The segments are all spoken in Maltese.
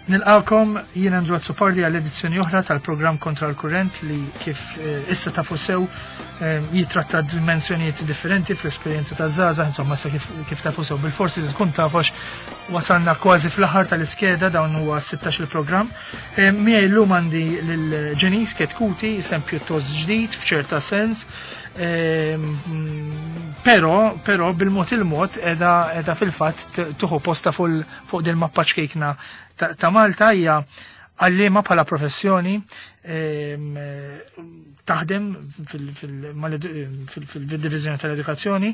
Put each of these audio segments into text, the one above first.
Nilqawkom jien Andrew Azzopardi għal edizzjoni oħra tal-programm Kontra l-Kurrent li kif eh, issa tafu sew eh, jitratta dimensjonijiet differenti fl-esperjenza ta' żgħażagħ, insomma issa kif, kif tafu sew bil-forsi li tkun tafax wasalna kważi fl-aħħar tal-iskeda dawn huwa 16 il-programm. Eh, miegħi llum għandi lil Ġenis Ketkuti, isem pjuttost ġdid f'ċerta sens, però però bil-mod il-mod edha edha fil-fatt tuħu posta fuq din mappa ċkejkna ta' Malta hija għallima bħala professjoni taħdem fil-divizjoni tal-edukazzjoni,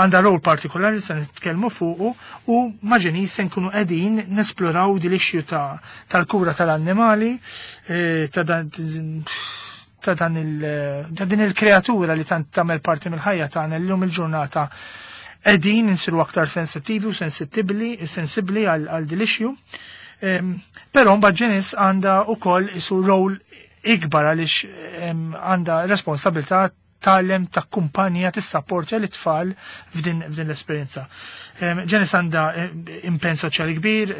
għandha rol partikolari se nitkellmu fuqu u maġeni se nkunu qegħdin nesploraw din l-issue tal-kura tal-annimali, eh, ta' dan ta' din il-kreatura li tant tagħmel parti mill-ħajja tagħna llum il-ġurnata qegħdin insiru aktar sensittivi u sensittibbli, sensibbli għal din l-issue. Però mbagħad Janice għandha wkoll isu rol ikbar għaliex għandha responsabilità tgħallem ta' kumpanija tissapportja l-tfal f'din l-esperjenza. Janice għandha impenn soċjali kbir,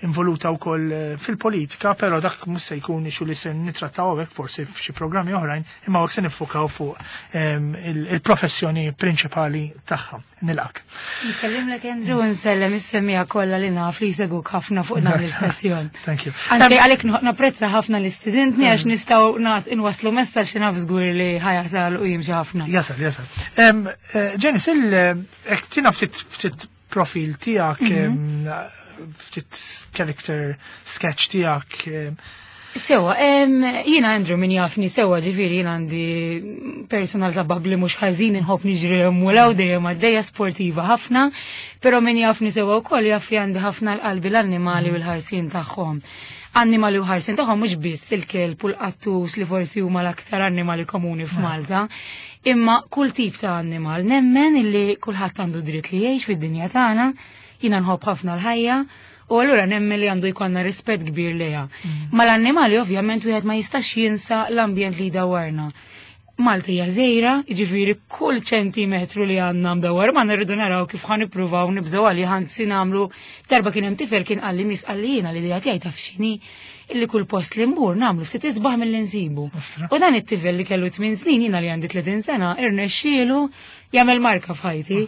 involuta wkoll eh, fil-politika, però dak mhux se jkun ixu li se nittrattaw hawnhekk forsi f'xi programmi oħrajn, imma hawnhekk se niffukaw fuq il-professjoni prinċipali tagħha. Nilqak. Nsellimlek Andrew, nsellem is-semmiegħa kollha li naf li jsegwuk ħafna fuq dan l-istazzjon. Thank you. Anzi, għalhekk napprezza ħafna l-istudentni għax nistgħu nagħt inwasslu messaġġ li naf żgur li ħajasal u jimxi ħafna. Jasal, jasal. Janice, il tina ftit ftit profil tiegħek, ftit character sketch tiegħek. Sewa, jiena Andrew min jafni sewa ġifieri jiena għandi personalità bubbly mhux ħażin inħobb niġri u law dejjem għaddejja sportiva ħafna, però min jafni sewa wkoll jaf li għandi ħafna l-qalbi l-annimali u l-ħarsien tagħhom. Annimali u ħarsien tagħhom mhux biss il-kelb u l-qattus li forsi huma l-aktar annimali komuni f'Malta, imma kull tip ta' annimal nemmen illi kulħadd għandu dritt li jgħix fid-dinja tagħna, jiena nħobb ħafna l-ħajja, u allura nemmen li għandu jkollna rispett kbir lejha. Mal-annimali ovvjament wieħed ma jistax jinsa l-ambjent li jdawwarna. Malta hija żgħira, jiġifieri kull ċentimetru li għandna mdawwar ma nirridu naraw kif ħa nippruvaw nibżgħu għalih anzi nagħmlu darba kien hemm tifel kien qalli miss qalli jiena l-idea tiegħi taf x'inhi illi kull post li mmur nagħmlu ftit isbaħ milli nsibu. U dan it-tifel li kellu 8 snin jiena li għandi 30 sena irnexxielu jagħmel marka f'ħajti.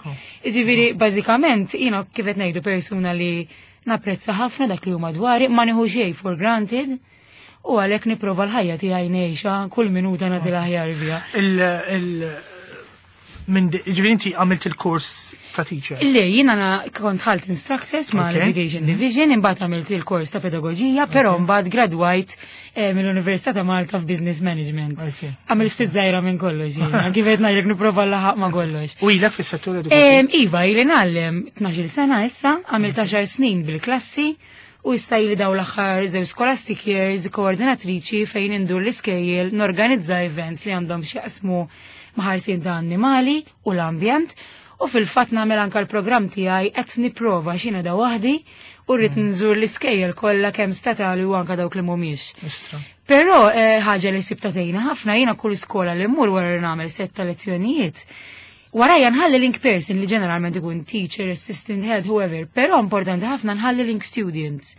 Jiġifieri bażikament jiena kif qed ngħidu persuna li napprezza ħafna dak li huma dwari, ma nieħu xejn for granted u għalhekk nipprova l-ħajja tiegħi ngħixha kull minuta nagħti l-aħjar biha. Ġifieri inti għamilt il-kors ta' teacher? Le, jiena kont ħalt instructors ma' l-Education Division, imbagħad għamilt il-kors ta' pedagogija, però mbagħad gradwajt mill-Università ta' Malta f'Business Management. Għamilt ftit żgħira minn kollox, jiena, kif qed ngħidlek nipprova laħaq ma' kollox. U ilek fis-settur edukattiv? Iva, ili ngħallem 12 sena issa, għamilt 10 snin bil-klassi, u issa ili daw l-aħħar żewġ scholastic years koordinatriċi fejn indur l-iskejjel norganizza events li għandhom x'jaqsmu ma' ħarsien ta' annimali u l-ambjent u fil-fatt nagħmel anke l-programm tiegħi qed nipprova x'jiena da waħdi u rrid nżur l-iskejjel kollha kemm statali u anke dawk li mhumiex. Però ħaġa li sibta tgħinna ħafna jiena kull skola li mmur wara li nagħmel setta lezzjonijiet. Warajja nħalli link person li ġeneralment ikun teacher, assistant head, whoever, però importanti ħafna nħalli link students.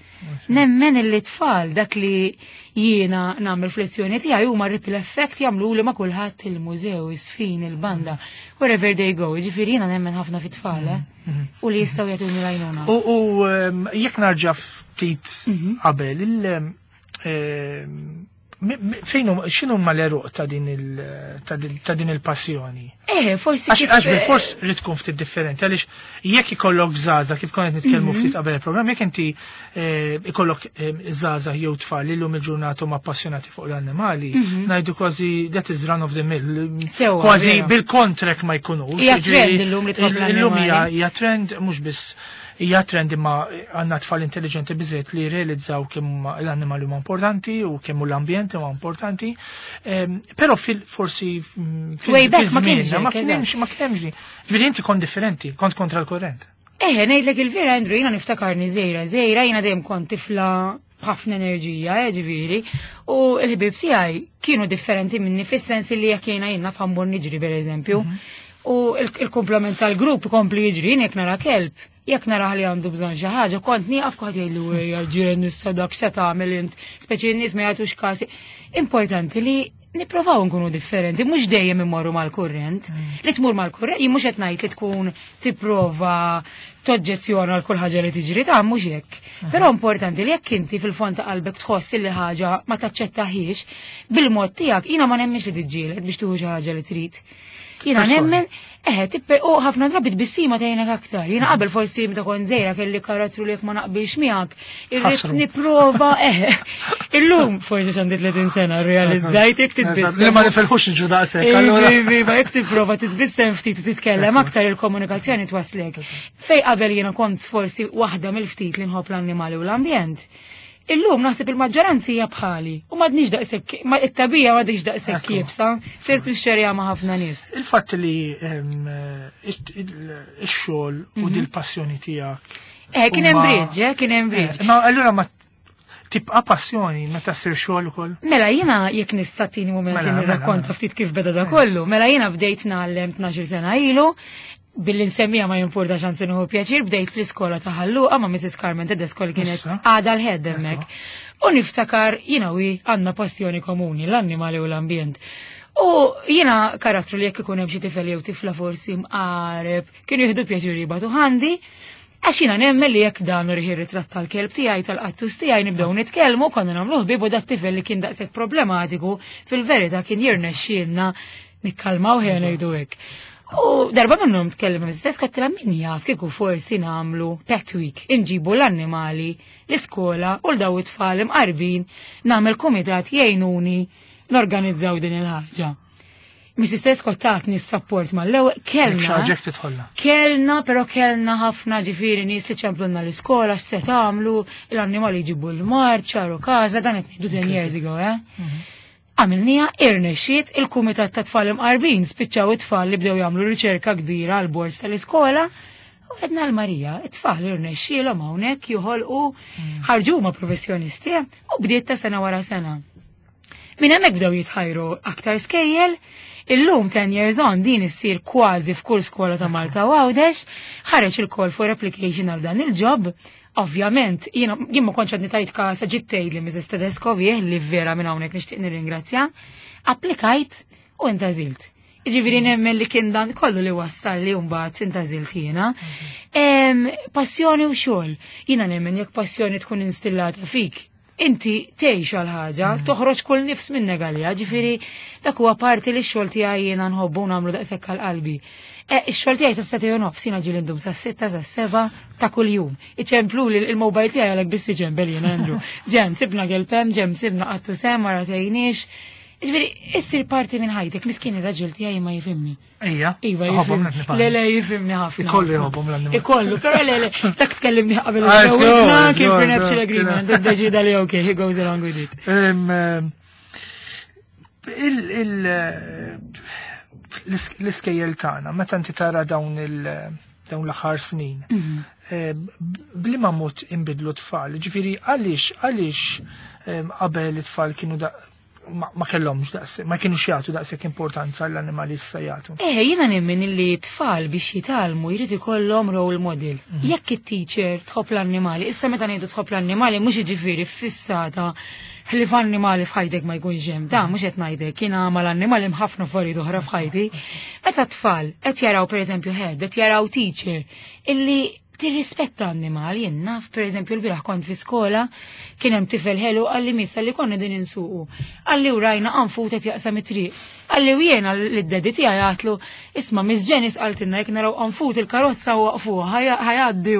Nemmen illi tfal dak li jiena nagħmel f'lezzjoni tiegħi huma ripple effect jagħmlu li ma' kulħadd il-mużew, isfin, il-banda, wherever they go. Ġifieri jiena nemmen ħafna fit-tfal, eh? U li jistgħu jagħtuni l-għajnuna. U jekk narġa' ftit qabel, fejn x'inhu ma l-eruq ta' din il-passjoni? Forsi Għax kif bil-fors li tkun ftit differenti, għaliex jekk ikollok żgħażagħ, kif konna nitkellmu ftit qabel il-programm, jekk inti ikollok żgħażagħ jew tfal li llum il-ġurnata huma appassionati fuq l-annimali, ngħidu kważi that is run of the mill. Sewa, Kważi vera. bil-kontrek ma jkunux. Hija Jiġifieri trend illum li tħobb illum l-annimali. hija trend mhux biss hija trend imma għandna tfal intelligenti biżejjed li realizzaw kemm l-annimali huma importanti u kemm l-ambjent huwa importanti. Però fil forsi fil Way back ma żmien, kienx ma hekk, kienx, eżatt. ma kienx di. Ġifieri inti kont differenti, kont kontra l-kurrent. Ngħidlek il-vera, Andrew, jiena niftakarni żgħira, żgħira, jiena dejjem kont tifla b'ħafna enerġija, ġifieri, u l-ħbieb tiegħi kienu differenti minni fis-sens li jekk jiena jien naf ħammur niġri pereżempju. U il-komplement tal-grupp kompli jiġri, jien jekk nara kelb, Jekk narah li għandu bżonn xi ħaġa, kont nieqaf kulħadd jgħidlu ejja ġen issa dak se tagħmel int, speċi n-nies ma jagħtux kasi. Importanti li nipprovaw nkunu differenti, mhux dejjem immorru mal-kurrent. Li tmur mal-kurrent, jien mhux qed ngħid li tkun tipprova toġġezzjona għal kull ħaġa li tiġri ta' mhux hekk. Però importanti li jekk inti fil-fond ta' qalbek tħoss li ħaġa ma taċċettaħiex, bil-mod tiegħek jiena ma nemminx li tiġġieled biex tieħu xi ħaġa li trid. Jiena nemmen, eħe, u ħafna drabi tbissima tgħinek aktar. Jiena qabel forsi meta kont żgħira kelli karattru li jekk ma naqbilx miegħek, irrid nipprova, eħe. Illum forsi x'għandi 30 sena rrealizzajt jekk titbissem. Li ma nifilħux niġu daqshekk. Allura. Iva, jekk tipprova titbissem ftit u titkellem aktar il-komunikazzjoni twaslek. Fej qabel jiena kont forsi waħda mill-ftit li nħobb l-annimali u l-ambjent. Illum naħseb il-maġġoranza hija bħali u m'għadniex daqshekk, ma it-tabija m'għadix daqshekk kiebsa, sirt nixxerja ma' ħafna nies. Il-fatt li ix-xogħol u dil-passjoni tiegħek. Kien hemm bridge, kien hemm bridge. Ma allura ma tibqa' passjoni meta ssir xogħol ukoll? Mela jiena jekk nista' tini mument li nirrakkonta ftit kif beda da kollu, mela jiena bdejt ngħallem 12 sena ilu, billi nsemmija ma jimporta xansi nieħu pjaċir, bdejt fl-iskola ta' Ħal Luqa ma' Mrs. Carmen Tedesco li kienet għada l-head hemmhekk. U niftakar jiena wi għandna passjoni komuni, l-annimali u l-ambjent. U jiena karattru li jekk ikun hemm xi tifel jew tifla forsi mqareb, kienu jieħdu pjaċir jibatu ħandi, għax jiena nemmen li jekk dan uriħi ritratt tal-kelb tiegħi tal-qattus tiegħi nibdew nitkellmu, konna nagħmlu ħbieb u dat tifel li kien daqshekk problematiku, fil-verità kien jirnexxielna nikkalmaw ħejja ngħidu hekk. U darba minnhom tkellem istess kottilha min jaf kieku forsi nagħmlu pet week, inġibu l-annimali l-iskola u l-daw it-tfal imqarbin nagħmel kumitat jgħinuni norganizzaw din il-ħaġa. Mrs. Tedesco tatni s-support mal-ewwel, kellna. Xaġek titħolla. Kellna, però kellna ħafna ġifieri nies li ċemplunna l-iskola x'se tagħmlu, l-annimali jġibu l-mard, ċaru każa, dan qed ngħidu 10 years ago, eh? Għamilnija irnexxiet il-Kumitat ta' Tfal Imqarbin, spiċċaw it-tfal li bdew jagħmlu riċerka kbira għal bord tal-iskola. U għedna l-Marija, it-tfal irnexxielhom hawnhekk joħolqu ħarġu huma professjonisti u bdiet ta' sena wara sena. Minn hemmhekk bdew jitħajru aktar skejjel, illum 10 years on din issir kważi f'kull skola ta' Malta u Għawdex, ħareġ il-call for application għal dan il-job. Ovvjament, jien ma kontx għadni tajt kasa ġiet tgħid li Mrs. Tedesco bih li vera minn hawnhekk nixtieq nirringrazzja, applikajt u intgħażilt. Ġifieri nemmen li kien dan kollu li wassal li mbagħad intgħażilt jiena. Passjoni u xogħol. Jiena nemmen jekk passjoni tkun instillata fik, inti tgħix għal ħaġa, toħroġ kull nifs minnek għaliha, ġifieri dak huwa parti li x-xogħol tiegħi jiena nħobbu nagħmlu daqshekk għal qalbi. Ix-xogħol tiegħi sa seta' nofs, jiena ġieli ndum sa 6, sa 7 ta' kuljum. Iċemplu li il-mobile tiegħi għalhekk biss iċempel jien Andrew. Ġen, sibna kelpem, ġen sibna qattu sem, ma ratejniex. Ġifieri, issir parti minn ħajtek, miskin ir-raġel tiegħi ma jifhimni. Ija, Iva, jħobbhom jifhimni. l-annimali. Le, le, jifhimni ħafna. Ikollu jħobbhom l-annimali. Ikollu, però le, le, dak tkellimni qabel Ah, il-ġewwiġna, żgur, kien żgur, prenuptial żgur, agreement, kien. iddeċida li okay, he goes along with it. L-iskejjel tagħna, meta inti tara dawn l-aħħar snin, bliema mod inbidlu tfal, ġifieri għaliex qabel it-tfal kienu ma kellhomx daqs, ma kienux jagħtu daqshekk importanza l-annimali issa jagħtu. Jiena nemmen illi tfal biex jitgħallmu jrid ikollhom role model. Jekk it-teacher tħobb l-annimali, issa meta ngħidu tħobb l-annimali mhux jiġifieri fissata ħlief annimali f'ħajtek ma jkunx hemm. Da mhux qed ngħidlek, jiena mal-annimali hemm ħafna affarijiet oħra f'ħajti. Meta tfal qed jaraw pereżempju head, qed jaraw teacher illi tirrispetta annimal, jien naf, per eżempju, l-bieraħ kont fi skola, kien hemm tifel ħelu qalli missa li konna din insuqu. Qalli u rajna qanfut qed jaqsam it-triq. Qalli u jiena lid-daddy tiegħi għatlu, isma' Miss Janice qaltilna jekk naraw qanfut il-karozza waqfuha, ħajgħaddi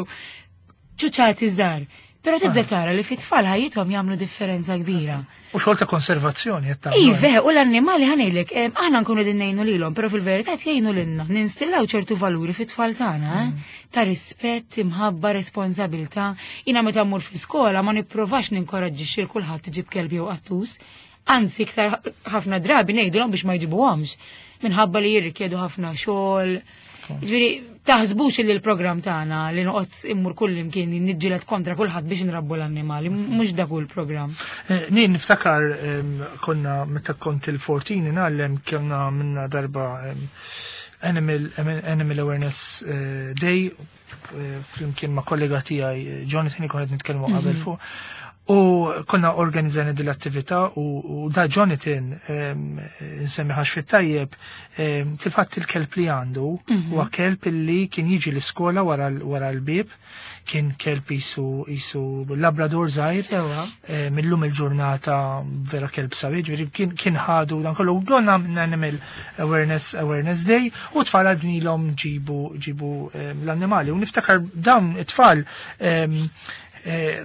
ċuċati żgħar. Però tibda tara li fit-tfal ħajjithom jagħmlu differenza kbira. U xogħol ta' konservazzjoni qed tagħmlu. Iva, u l-annimali ħanejlek, aħna nkunu din ngħinu lilhom, però fil-verità jgħinu lilna, ninstillaw ċertu valuri fit-tfal tagħna, ta' rispett, imħabba, responsabilità. Jiena meta mmur fl-iskola ma nipprovax ninkoraġġixxi lil kulħadd iġib kelb jew qattus, anzi iktar ħafna drabi ngħidulhom biex ma jġibuhomx, minħabba li jirrikjedu ħafna xogħol. Ġifieri, taħsbux li l-programm tagħna li noqgħod immur kull imkien niġġieled kontra kulħadd biex nrabbu l-annimali, mhux dak hu l-programm. Nien niftakar konna meta kont il-14 ngħallem kellna minna darba Animal Awareness Day. flimkien ma' kollega tiegħi Jonathan li konna qed nitkellmu qabel fuq. U konna organizzajna din l-attività u da Jonathan nsemmi ħax fit-tajjeb fil-fatt il-kelb li għandu huwa kelb li kien jiġi l-iskola wara l-bieb, kien kelb jisu Labrador żgħir. Sewwa. Millum il-ġurnata vera kelb sabiħ, ġifieri kien ħadu dan kollu. Donna Animal Awareness Day u tfal għadnilhom ġibu l-annimali. U niftakar dawn it-tfal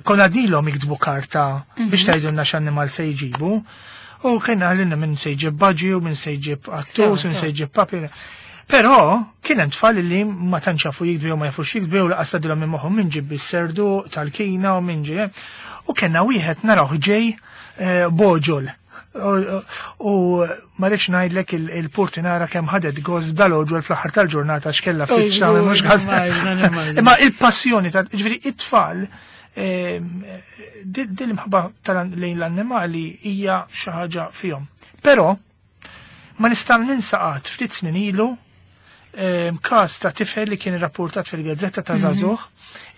konna għadnilhom jiktbu karta biex tgħidulna x'annimal se jġibu. U kien għalina minn se jġib budgie u minn se jġib qattus, minn se jġib puppy. Però kien hemm tfal li ma tantx jafu jiktbu jew ma jafux jiktbu jew laqas tgħaddilhom minn moħħhom min ġib is-serdu tal-kina u min ġie. U kellna wieħed narawh ġej boġol. U ma rridx ngħidlek il-portinara kemm ħadet gost dal-oġol fl-aħħar tal-ġurnata x'kellha ftit Oj, xagħmel mhux żgur, ħadd. nimmaġina, nimmaġina. Imma il-passjoni ta' ġifieri it-tfal din l-imħabba lejn l-annimali hija xi ħaġa fihom. Però ma nista' ninsa qatt ftit snin ilu każ ta' tifel li kien irrapportat fil-gazzetta ta' żagħżugħ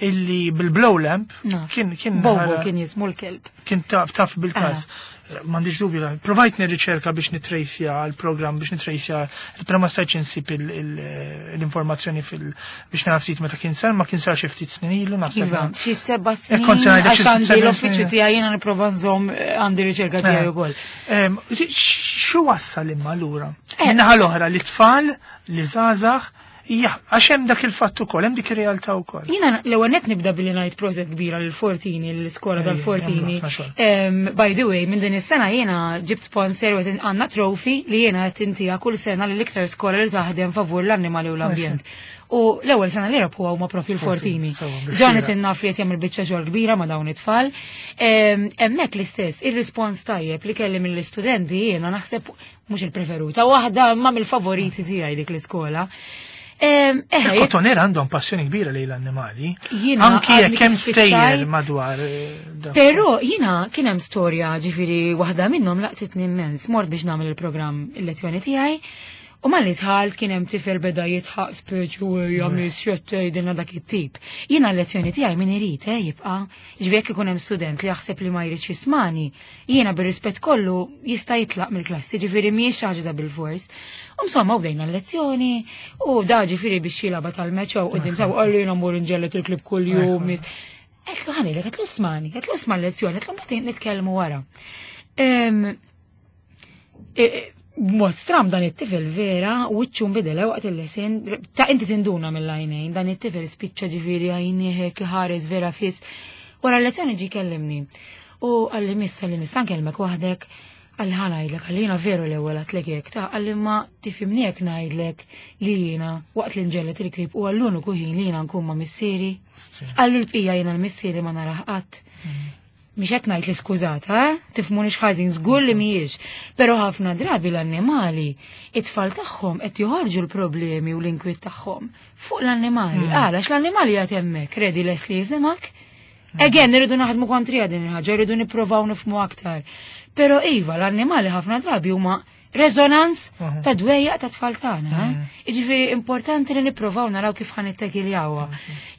illi bil-blow lamp kien Bobo ħara kien jismu l-kelb. Kien taf bil-każ. M'għandix dubju la. Provajt nirriċerka biex nitrejsja l-programm, biex nitrejsja, però ma stajtx insib l-informazzjoni biex nara ftit meta kien sar, ma kien sar xi ftit snin ilu, naħseb. Iva, xi 7 snin. Kont se ngħidlek xi Għax għandi 7 l-uffiċċju snin. tiegħi jiena nipprova nżomm għandi riċerka tiegħi ukoll. X'u wassal imma allura? Min-naħa l-oħra li tfal, li żgħażagħ, għax hemm dak il-fatt ukoll, hemm dik ir-realtà wkoll. Jiena l-ewwel nett nibda billi ngħid proset kbira lil Fortini, l-iskola tal-Fortini. Jagħmlu ħafna xogħol. By the way, minn din is-sena jiena ġibt sponsor u qed għandna trophy li jiena qed intiha kull sena lil iktar skola li taħdem favur l-annimali u l-ambjent. U l-ewwel sena li rebħu huma propju l-Fortini. Fortini, sewwa, biex Jonathan tira. naf li qed jagħmel biċċa xogħol kbira ma' dawn it-tfal. Hemmhekk l-istess, ir-rispons tajjeb li kelli mill-istudenti jiena naħseb mhux il-preferuta, waħda ma mill-favoriti tiegħi dik l-iskola. Il-Kottonera għandhom passjoni kbira lejn l-annimali. Jiena Anki għadni jekk hemm kif stejjer spiċċajt. madwar dak. Però jiena kien hemm storja ġifieri waħda minnhom laqtitni immens. Mort biex nagħmel il-programm il-lezzjoni tiegħi. U malli dħalt kien hemm tifel beda jitħaq speċi u hija miss tgħidilna dak it-tip. Jiena l-lezzjoni tiegħi min irid jibqa'. Ġifieri jekk ikun hemm student li jaħseb li ma jridx jismani, jiena bir-rispett kollu jista' jitlaq mill-klassi, ġifieri mhijiex xi ħaġa ta' bil-fors. U insomma, u bdejna l-lezzjoni, u da ġifieri biex jilgħabha tal-meċ u qudiem saw qalli jiena mmur inġellet il-klib kuljum. Għedtlu ħanilek, għedtlu ismani, għedtlu isma' l-lezzjoni, għedtlu mbagħad nitkellmu wara. B'mod stram dan it-tifel vera, wiċċu nbidel waqt il-lesin, ta' inti tinduna mill-għajnejn, dan it-tifel spiċċa ġifieri għajnieh ħares vera fis. Wara l-lezzjoni ġi kellimni. U qalli missa li nista' nkellmek waħdek, qalli ħa ngħidlek, qalli jiena veru l-ewwel għedtlek hekk, ta' qalli ma tifhimni jekk ngħidlek li jiena waqt li nġellet il-klib u għall-uniku ħin li jiena nkun ma' missieri. Qalli l-bqija jiena l-missieri ma narah qatt. Mhix qed ngħid li skużata, Tifhmuni x'ħażin, żgur li mhijiex. Però ħafna drabi l-annimali, it-tfal tagħhom qed joħorġu l-problemi u l-inkwiet tagħhom fuq l-annimali. Għala, għax l-annimali qed hemmhekk, ready les li jisimgħek. Again, irridu naħdmu kontrija din il-ħaġa, irridu nippruvaw nifhmu aktar. Però iva, l-annimali ħafna drabi huma rezonans ta' dwejjaq ta' tfal tagħna, eh? Jiġifieri importanti li nippruvaw naraw kif ħa nittakkiljawha.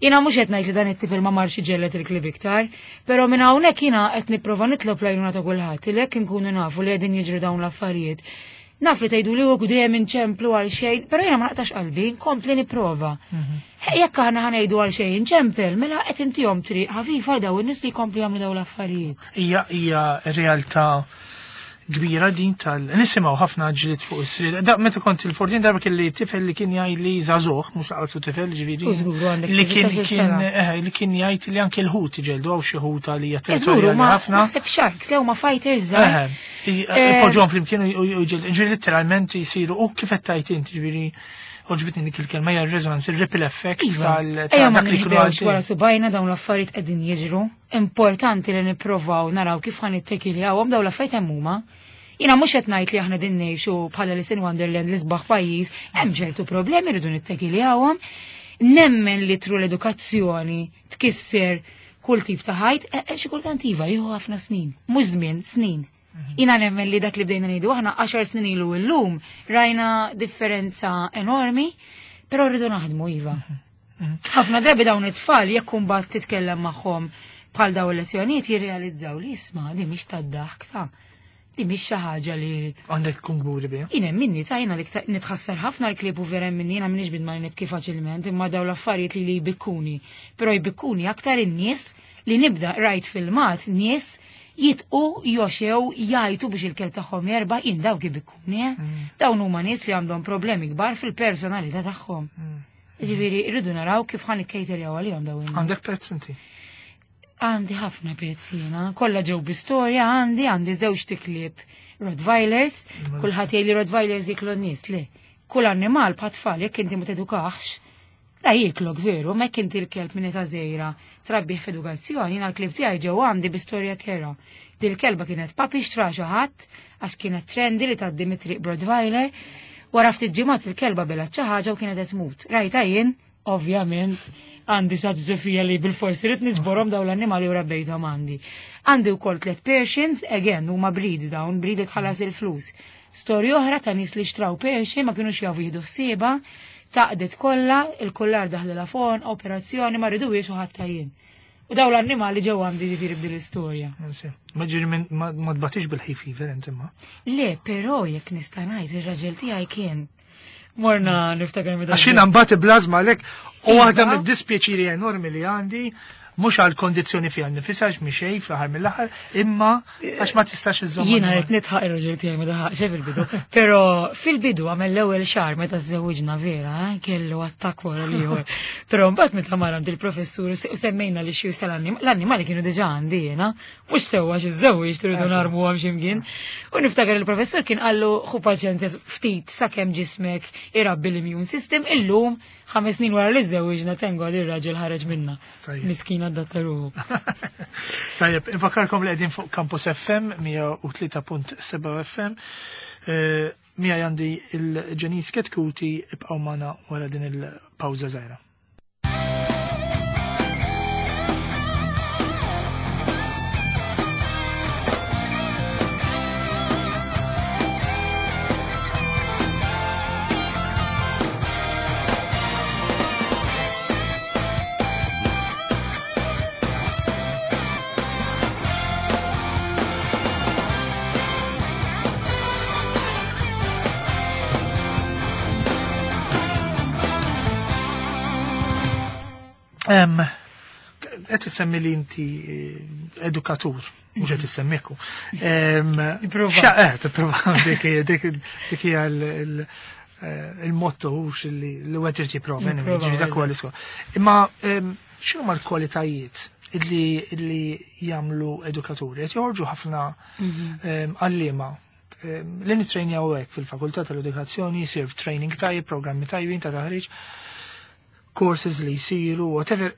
Jiena mhux qed ngħid li dan it-tifel ma marx iġellet il-klib iktar, però minn hawnhekk jiena qed nipprova nitlob l-għajnuna ta' kulħadd li jekk inkunu nafu li qegħdin jiġru dawn l-affarijiet. Naf li tgħidu li hu dejjem inċemplu għal xejn, però jiena ma naqtax qalbi, nkompli nipprova. Jekk aħna ħa ngħidu għal xejn inċempel, mela qed intihom triq ħafifa daw in-nies li jkomplu jagħmlu dawn l-affarijiet. Hija realtà kbira din tal nisimgħu ħafna ġlied fuq is-srir. Da meta kont il-14 darba kelli tifel li kien jgħid li żagħżugħ, mhux laqgħu tifel ġifieri. U żgur, għandek Li sittax-il sena. kien jgħid li anke l-ħut iġeldu hawn xi ħuta li hija Żgur, territorjali ma ħafna. naħseb sharks, le huma fighters żgħar. Ipoġġuhom flimkien u jġeldu. Ġifieri letteralment jisiru u kif qed tgħid inti ġifieri oġbitni dik il-kelma hija r-resonance, il-ripple effect Ejja, tal ma dak li kienu nħbewx għaddej. wara subajna dawn l-affarijiet qegħdin jiġru. Importanti li nipprovaw naraw kif ħa nittakkiljawhom dawn l-affarijiet hemm huma. Jiena mhux qed ngħid li aħna din ngħixu bħala Alice in Wonderland l-isbaħ pajjiż, hemm ċertu problemi rridu nittakkiljawhom. Nemmen li tru l-edukazzjoni tkisser kull tip ta' ħajt, xi kultant iva jieħu ħafna snin, mhux żmien, snin. Jiena nemmen li dak li bdejna ngħidu aħna 10 snin ilu llum rajna differenza enormi, però rridu naħdmu iva. Ħafna drabi dawn it-tfal jekk imbagħad titkellem magħhom bħal dawn il-lezzjonijiet jirrealizzaw li isma' di mhix tad-daħk ta' di mhix xi ħaġa li Għandek tkun kburi biha. Jien hemm minni ta' jiena li nitħassar ħafna l-klieb u vera hemm minni jiena m'iniex bidma li nibki faċilment imma dawn l-affarijiet li li jbikkuni. Però jbikkuni aktar in-nies li nibda rajt filmat nies jitqu joxew jgħajtu biex il-kelb tagħhom jerbaħ jien dawk ibikkuni. Eh? Dawn huma nies li għandhom problemi kbar fil-personalità tagħhom. Ġifieri rridu naraw kif ħan ikkejterjaw għalihom dawn. Għandek pets inti? Għandi ħafna pets jiena, kollha ġew bi storja għandi, għandi żewġ tiklieb Rottweilers, kulħadd jgħid li Rottweilers jiklu n-nies, le. Kull annimal bħat tfal jekk inti ma tedukax, la jiklok veru, ma jekk inti l-kelb minn età żgħira trabbih f'edukazzjoni, jiena l-klieb tiegħi ġew għandi bi storja kera. Dil-kelba kienet puppy xtra xi ħadd għax kienet trendy li tgħaddi mit-triq b'Rottweiler. Wara ftit ġimgħat il-kelba belgħet xi ħaġa u kienet qed tmut. Rajta jien, ovvjament, għandi saġġa fija li bil-forsi rrid niġborhom dawn l-annimali u rabbejthom għandi. Għandi wkoll tliet Persians, again, huma breed dawn, breed li tħallas il-flus. Storja oħra ta' nies li xtraw Persian ma kinux jafu jieħdu ħsiebha, taqdet kollha, il-kullar daħlilha fon, operazzjoni ma rriduhiex u ħadd jien. U dawn l-annimali ġew għandi ġifieri b'din l-istorja. Ma ġifieri ma tbatix bil-hay fever inti ma. Le, però jekk nista' ngħid ir-raġel tiegħi kien Morna niftakar meta. Għax jiena mbagħad iblażma għalhekk u waħda mid-dispjaċiri enormi li għandi mhux għal kondizzjoni fiha nnifisha għax mhi xejn fl-aħħar mill-aħħar, imma għax ma tistax iżżomm. Jiena qed nidħaq ir-raġel tiegħi ma daħaqx fil-bidu. Però fil-bidu għamel l-ewwel xahar meta żżewwiġna vera, kellu attakk wara l-ieħor. Però mbagħad meta mar għand il-professur u semmejna li xi l-annimali kienu diġà għandi jiena, mhux sewwa xi żewwieġ tridu narmu għam x'imkien. U niftakar il-professur kien qallu ħu paċenzja ftit sakemm ġismek irabbi l-immune system illum 5 snin wara li żewwiġna tengo għal ir-raġel ħareġ minna. Miskin adatta ruħu. Tajjeb, infakarkom li qegħdin fuq Campus FM 103.7 FM. Mija għandi il-Janice Chetcuti ibqgħu magħna wara din il-pawża żgħira. Qed issemmi li inti edukatur, mhux qed issemmiku. Tipprova. Tipprova, dik hija il-motto hux li wieħed irid jipprova, anyway, ġifieri dak huwa l-iskop. Imma x'inhuma l-kwalitajiet illi jagħmlu edukaturi? Qed joħorġu ħafna għalliema li nittrejnjaw hekk fil-fakultà tal-edukazzjoni, jsir training tajjeb, programmi tajbin ta' taħriġ, courses li jsiru, whatever.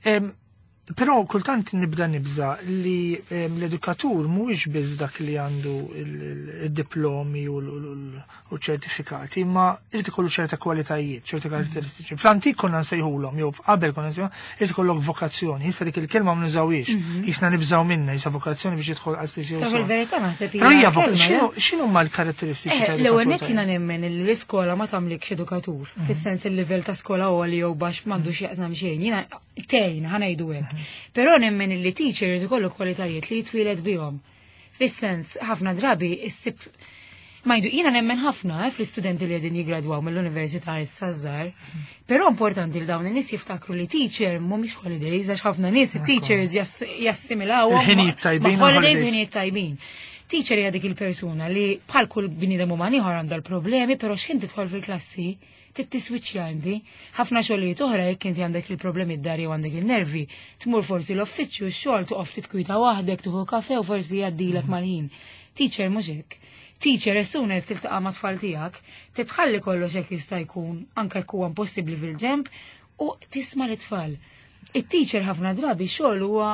Però kultant nibda nibża li l-edukatur mhuwiex biss dak li għandu il-diplomi u ċertifikati, imma irid ikollu ċerta kwalitajiet, ċerta karatteristiċi. Fl-antik konna nsejħulhom, jew qabel konna nsejħulhom, irid ikollok vokazzjoni. Issa dik il-kelma ma nużawhiex, jisna nibżgħu minnha, jisa vokazzjoni biex jidħol għal stess jew Però sew. fil-verità naħseb Però hija hija kelma, x'inhu huma l-karatteristiċi tal-edukatur L-ewwel nett tajjeb? jiena nemmen li l-iskola ma tagħmlikx edukatur, fis-sens il-livell ta' skola għoli jew baxx m'għandux jaqsam xejn. Jiena tgħin, ħa ngħidu hekk. Però nemmen li teacher irid ikollu kwalitajiet li jitwieled bihom. Fis-sens, ħafna drabi issib ma jdu, jiena nemmen ħafna fl-istudenti li qegħdin jiggradwaw mill-università issa żgħar. Però importanti li dawn in-nies jiftakru li teacher mhumiex holidays, għax ħafna nies teachers jassimilawhom Il-ħinijiet tajbin ma' u holidays u holidays. ħinijiet tajbin. Teacher hija dik il-persuna li bħal kull bniedem uman ieħor għandha l-problemi, però x'ħin tidħol fil-klassi tiswiċċja inti. Ħafna xogħlijiet oħra jekk inti għandek il-problemi d-dar jew għandek il-nervi, tmur forsi l-uffiċċju, x-xogħol toqgħod titkwita waħdek, tieħu kafe u forsi jgħaddilek mal-ħin. Teacher mhux hekk. Teacher as soon as tiltaqa' ma' tfal tiegħek, titħalli kollox hekk jista' jkun, anke jekk huwa impossibbli fil-ġemp, u tisma' l-tfal. It-teacher ħafna drabi xogħol huwa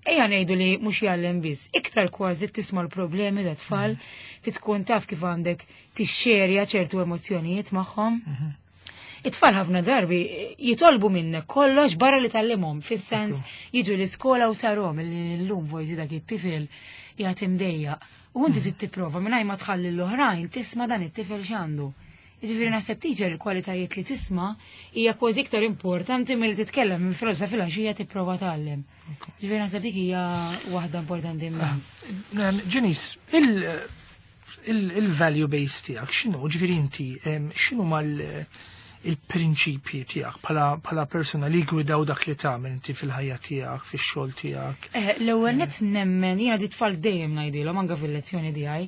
ejja ngħidu li mhux jgħallem biss, iktar kważi tisma' l-problemi ta' tfal, titkun taf kif għandek tixxerja ċertu emozzjonijiet magħhom. It-tfal ħafna darbi jitolbu minnek kollox barra li tallimhom, fis-sens jiġu l-iskola u tarhom li llum forsi dak it-tifel jagħti mdejjaq. U inti trid tipprova mingħajr ma tħalli l-oħrajn tisma' dan it-tifel x'għandu. Ġifieri naħseb teacher il-kwalitajiet li tisma' hija kważi iktar importanti milli titkellem minn filgħodu filgħaxija tipprova tgħallem. Ġifieri naħseb dik hija waħda importanti immens. Janice, il-value base tiegħek x'inhu? Ġifieri inti x'inhu mal il-prinċipji tiegħek bħala persuna li gwidaw dak li tagħmel inti fil-ħajja tiegħek, fix-xogħol tiegħek? L-ewwel nett nemmen, jiena di tfal dejjem ngħidilhom anke fil-lezzjoni tiegħi,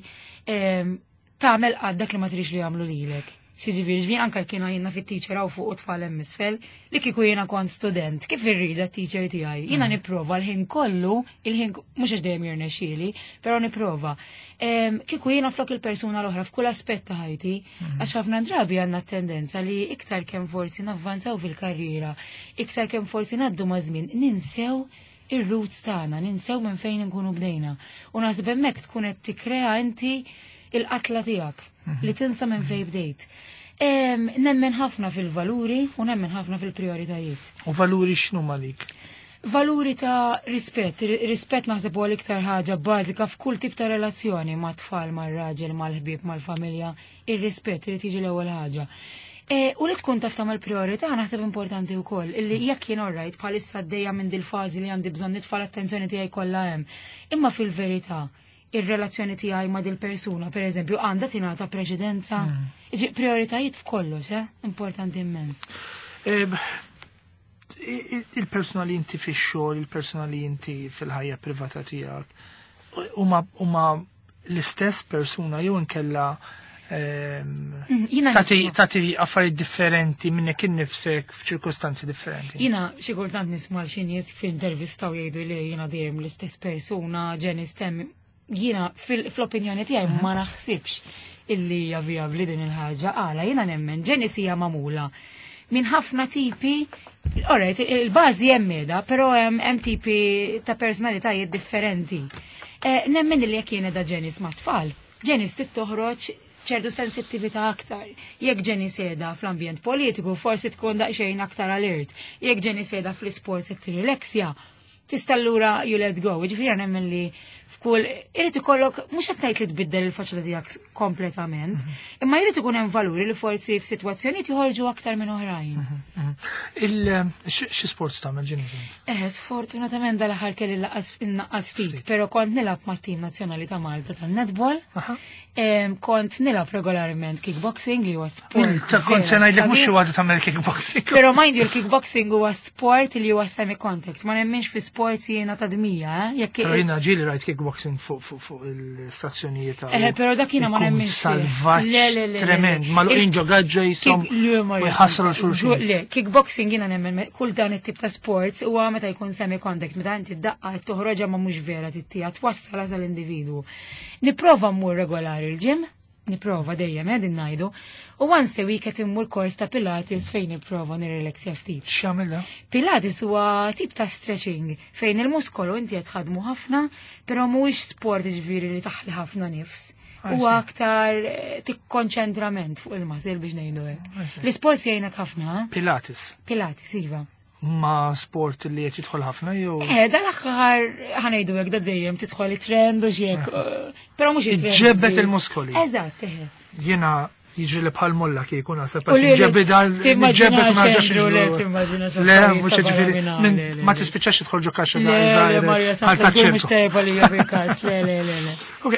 tagħmel qatt dak li ma tridx li jagħmlu lilek. Xi ġifieri, ġifieri anke kienu jiena fit-teacher hawn fuq u tfal hemm isfel, li kieku jiena kont student, kif irrida t-teacher tiegħi? Jiena nipprova l-ħin kollu, il-ħin mhux għax dejjem jirnexxieli, però nipprova. Kieku jiena flok il-persuna l-oħra f'kull aspett ta' ħajti, għax ħafna drabi għandna tendenza li iktar kemm forsi navvanzaw fil-karriera, iktar kemm forsi ngħaddu ma' żmien, ninsew ir-roots tagħna, ninsew minn fejn inkunu bdejna. U naħseb hemmhekk tkun qed tikkrea inti il-qatla tiegħek li tinsa minn fejn bdejt. Nemmen ħafna fil-valuri u nemmen ħafna fil-prioritajiet. U valuri x'inhu malik? Valuri ta' rispett, rispett naħseb huwa l-iktar ħaġa bażika f'kull tip ta' relazzjoni ma' tfal, mar-raġel, mal-ħbieb, mal-familja, ir-rispett irid jiġi l-ewwel ħaġa. U li tkun taf tagħmel priorità naħseb importanti wkoll, illi jekk jien orrajt bħalissa għaddejja minn dil-fażi li għandi bżonn nitfa' l-attenzjoni tiegħi kollha hemm. Imma fil-verità, ir-relazzjoni tiegħi ma' dil-persuna, per eżempju, għandha tingħata preċedenza. Iġi, prioritajiet f'kollox, importanti immens. Il-persuna li inti fix-xogħol, il-persuna li inti fil-ħajja privata tiegħek, huma l-istess persuna jew inkella Jiena nisma'. tati affarijiet differenti minnek innifsek f'ċirkostanzi differenti. Jiena xi kultant nisma' xi nies f'intervista u jgħidu li jiena dejjem l-istess persuna, Janice temm. Jiena fl-opinjoni tiegħi ma naħsibx illi hija vijabbli din il-ħaġa. Għala jiena nemmen Janice hija magħmula minn ħafna tipi, alright, il-bażi hemm qiegħda, però hemm tipi ta' personalitajiet differenti. Nemmen li jekk jiena da Janice ma' tfal, Janice trid toħroġ ċertu sensittività aktar. Jekk Janice qiegħda fl-ambjent politiku, forsi tkun daqsxejn aktar alert. Jekk Janice qiegħda fl-isports qed tirrileksja, tista' allura you let go. Ġifieri nemmen li f'kull irid ikollok mhux qed ngħid li tbiddel il-faċċata tiegħek kompletament, imma jrid ikun hemm valuri li forsi f'sitwazzjonijiet joħorġu aktar minn oħrajn. Xi sports tagħmel Janice? Sfortunatament dal-aħħar kelli innaqqas ftit, però kont nilgħab mat-tim nazzjonali ta' Malta tan-netball. Kont nilgħab regolarment kickboxing li huwa sport. Ta' kont se vera ngħidlek mhux xi sabiħ. waħda tagħmel kickboxing. Però mind you, il-kickboxing huwa sport li huwa semi-contact. Ma nemminx fi sports jiena ta' dmija, jekk Però jiena ġieli rajt kickboxing fuq il-stazzjonijiet ta' Però dak jiena ma ikun nemminx fih. salvaġġ Le, le, le, le, tremend. le. Ma l-oqin ġo gaġġa jisom Le, ma u jħassru jisem. xulxin. Żgur, le, kickboxing jiena nemmen kull dan it-tip ta' sports huwa meta jkun semi-contact, meta inti daqqa qed toħroġha ma mhux vera tittija, twassalha sal-individwu. Nipprova mmur regolari l-gym, nipprova dejjem din ngħidu, u once a week qed immur kors ta' Pilates fejn nipprova nirrelaxja ftit. X'jagħmel da? Pilates huwa tip ta' stretching fejn il-muskolu inti qed tħadmu ħafna, però mhuwiex sport ġifieri li taħli ħafna nifs. Huwa aktar tikkonċentrament fuq il-muscle biex ngħidu hekk. L-isport jgħinek ħafna, eh? Pilates. Pilates, iva. Ma sport li qed jidħol ħafna jew Dal-aħħar ħanejdu hekk da dejjem tidħol it-trend u xi hekk, però mhux it-trend Iġġebbet biss. il-muskoli. Eżatt, eħe. Jiena jiġri li bħal molla kieku naħseb U li li ġebbi dal timmaġina ġebbi ma ġax xendru, le, jiġru. timmaġina xi Le, affarijiet mhux ta' ġifieri, barra minn hawn, le, le, ma le. tispiċċax tidħol ġo kaxxa Le, da' le, żgħira, Maria, bħal Santa, ta' żgur mhux ċirku. tajba li hija bil-każ, le, le, le, le. Ok,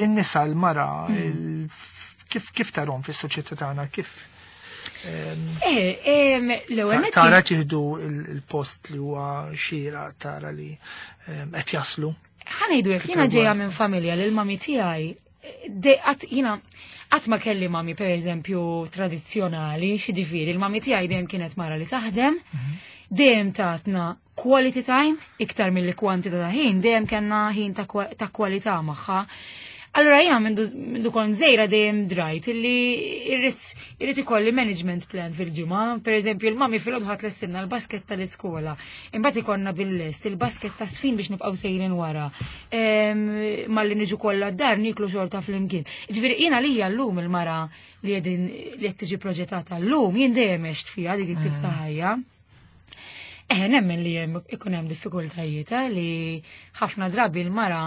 il-nisa, l-mara, kif tarhom fis-soċjetà tagħna, kif? L-ewwel nett Tara tieħdu il-post li huwa xira, tara li qed jaslu. Ħa ngħidu hekk, jiena ġejja minn familja li l-mami tiegħi, jiena qatt ma kelli mami pereżempju tradizzjonali, xi ġifieri, il-mami tiegħi dejjem kienet mara li taħdem, dejjem tatna quality time iktar milli kwantità ta' ħin, dejjem kellna ħin ta' kwalità magħha. Allora jiena mindu kont żgħira dejjem drajt illi irrid ikolli management plan fil-ġimgħa. Per eżempju, il-mami fil-għodu ħadd lestinna l-basket tal-iskola. Imbagħad ikollna bil-lest il-basket ta' sfin biex nibqgħu sejrin wara. Malli niġu kollha d-dar niklu xorta flimkien. Ġifieri jiena lija llum il-mara li qegħdin li qed tiġi proġettata llum jien dejjem għext fiha dik it-tip ta' ħajja. Nemmen li hemm ikun hemm diffikultajiet li ħafna drabi l-mara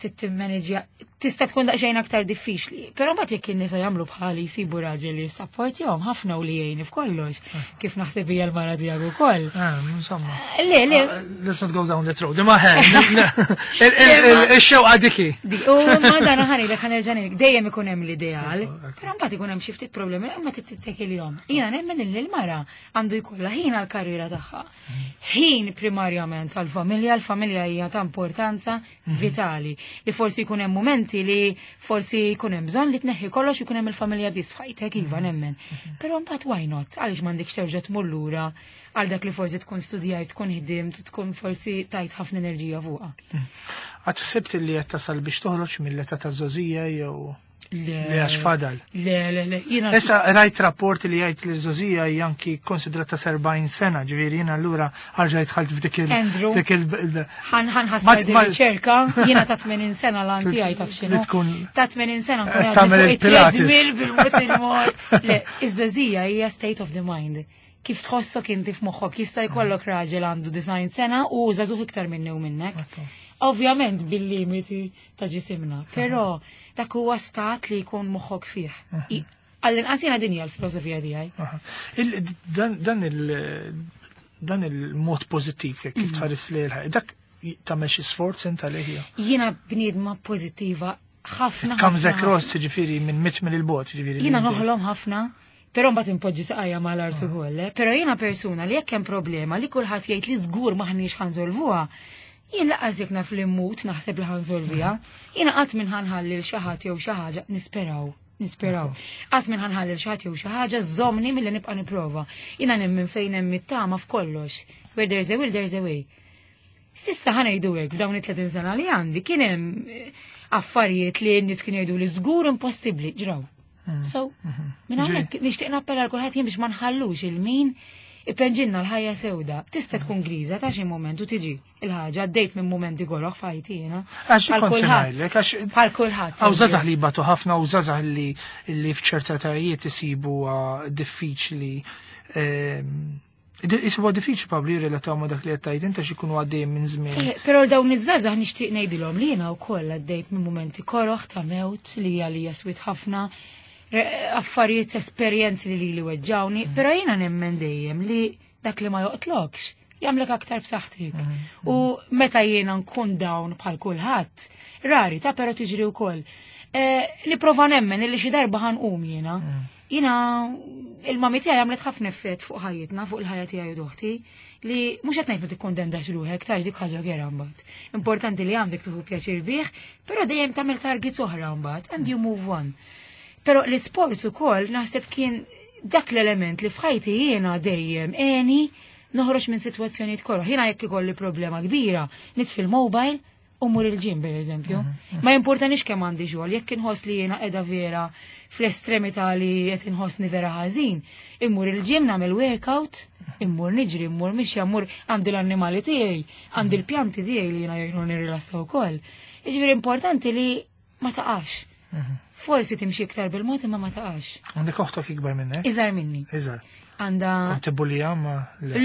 Tittimmanġja tista' tkun daqsxejn aktar diffiċli. Però mbagħad jekk in-nisa jagħmlu bħali jsibu raġel li jissapportjahom ħafna u li jgħin f'kollox, kif naħseb hija l-mara tiegħek ukoll. Insomma. Le, le. Let's not go down that road. Ma ix-xewqa diki. U ma dan ħanilek ħanerġa' ngħidlek, dejjem ikun hemm l-ideal, però mbagħad ikun hemm xi ftit problemi imma tittekilhom. Jiena nemmen li l-mara għandu jkollha ħin għall-karriera tagħha. Ħin primarjament għall-familja, l-familja hija ta' importanza vitali li forsi jkun hemm momenti li forsi jkun hemm bżonn li tneħħi kollox jkun hemm il-familja biss f'ħajtek iva nemmen. Però mbagħad why not? Għaliex m'għandekx terġa' tmur lura għal dak li forsi tkun studjajt, tkun ħdimt, tkun forsi tajt ħafna enerġija fuqha. Qatt ħsibt li qed tasal biex toħroġ mill-età taż-żgħożija jew Le għax fadal. Le, le, le. Jiena Issa rajt rapport li jgħid li żgħożija hija anki konsidrata 70 sena, ġifieri jiena allura erġajt dħalt f'dik il. Andrew. Dik il. Ħan ħan ħassar din riċerka, jiena ta' 80 sena l tiegħi taf x'inhu. Tkun Ta' 80 sena nkun tagħmel għadni fuq il-Pilates. it-treadmill bil-mod il-mod. Le, iż-żgħożija hija state of the mind. Kif tħossok inti f'moħħok jista' jkollok raġel għandu 90 sena u żagħżugħ iktar minni u minnek. Ovvjament bil-limiti ta' ġisimna, però dak huwa stat li jkun moħħok fih. Għall-inqas jiena din hija l-filosofija tiegħi. Aha. Dan il-mod pozittiv jekk kif tħares li l dak tagħmel xi sforz inta li hija. Jiena bniedma pożittiva ħafna. It comes ħafna, across, ġifieri minn mit mill il-bot, ġifieri. Jiena noħlom ħafna, però mbagħad impoġġi saqajja mal-art ukoll, eh. Però jiena persuna li jekk hemm problema li kulħadd jgħid li żgur maħniex ħa nsolvuha, jien lanqas jekk naf li mmut naħseb li ħa nsolviha. Jiena qatt minn ħa nħalli l xi ħadd jew xi ħaġa nisperaw. Nisperaw. Qatt minn ħa nħalli l xi ħadd jew xi ħaġa żommni milli nibqa' nipprova. Jiena nemmen fejn hemm it-tama f'kollox. Where there's a will, there's a way. S'issa ħa ngħidu hekk f'dawn it-30 sena li għandi kien hemm affarijiet li n-nies kienu jgħidu li żgur impossibbli ġraw. So, minn hawnhekk nixtieq nappella għal kulħadd jien biex ma nħallux lil min ipenġilna l-ħajja sewda. Tista' tkun griża ta' xi moment u tiġi il-ħaġa għaddejt minn momenti koroh f'ħajti jiena. Għax Bħal kont se kulħadd. ngħidlek, għax Bħal kulħadd. Hawn żgħażagħ li jbatu ħafna u żgħażagħ li f'ċerta etajiet isibu diffiċli jisibu diffiċli probably jirrelataw ma dak li qed tgħid inta x'ikunu għaddejjin minn żmien. Però dawn iż-żgħażagħ nixtieq ngħidilhom li jiena wkoll għaddejt minn momenti koroh ta' mewt li hija li jaswit ħafna affarijiet esperjenzi li weġġawni, però jiena nemmen dejjem li dak li ma joqtlokx jagħmlek aktar b'saħħtek. U meta jiena nkun down bħal kulħadd, rari ta' però tiġri wkoll. Nipprova nemmen illi xi darba ħa nqum jiena. Jiena il-mami tiegħi għamlet ħafna effett fuq ħajjitna, fuq il-ħajja tiegħi u t'oħti, li mhux qed ngħid ma tikkundendax ruħek, tax dik ħaġa gera mbagħad. Importanti li għandek tieħu pjaċir bih, però dejjem tagħmel targets oħra mbagħad and you move on. Però l-isports ukoll naħseb kien dak l-element li f'ħajti jiena dejjem għeni noħroġ minn sitwazzjonijiet koroh. Jiena jekk ikolli problema kbira, nitfi l-mobile u mmur il-gym per eżempju. Ma importanix kemm għandi xogħol, jekk inħoss li jiena qiegħda vera fl-estremità li qed inħossni vera ħażin, immur il-gym nagħmel workout, immur niġri, immur mixja, immur għandi l-annimali tiegħi, għandi l-pjanti tiegħi li jiena jgħinu nirrilassa wkoll. Jiġifieri importanti li ma taqax. Forsi timxi iktar bil-mod imma ma taqax. Għandek oħtok ikbar minnek? Iżgħar minni. Iżgħar. Għanda. Kont tibbulija ma le.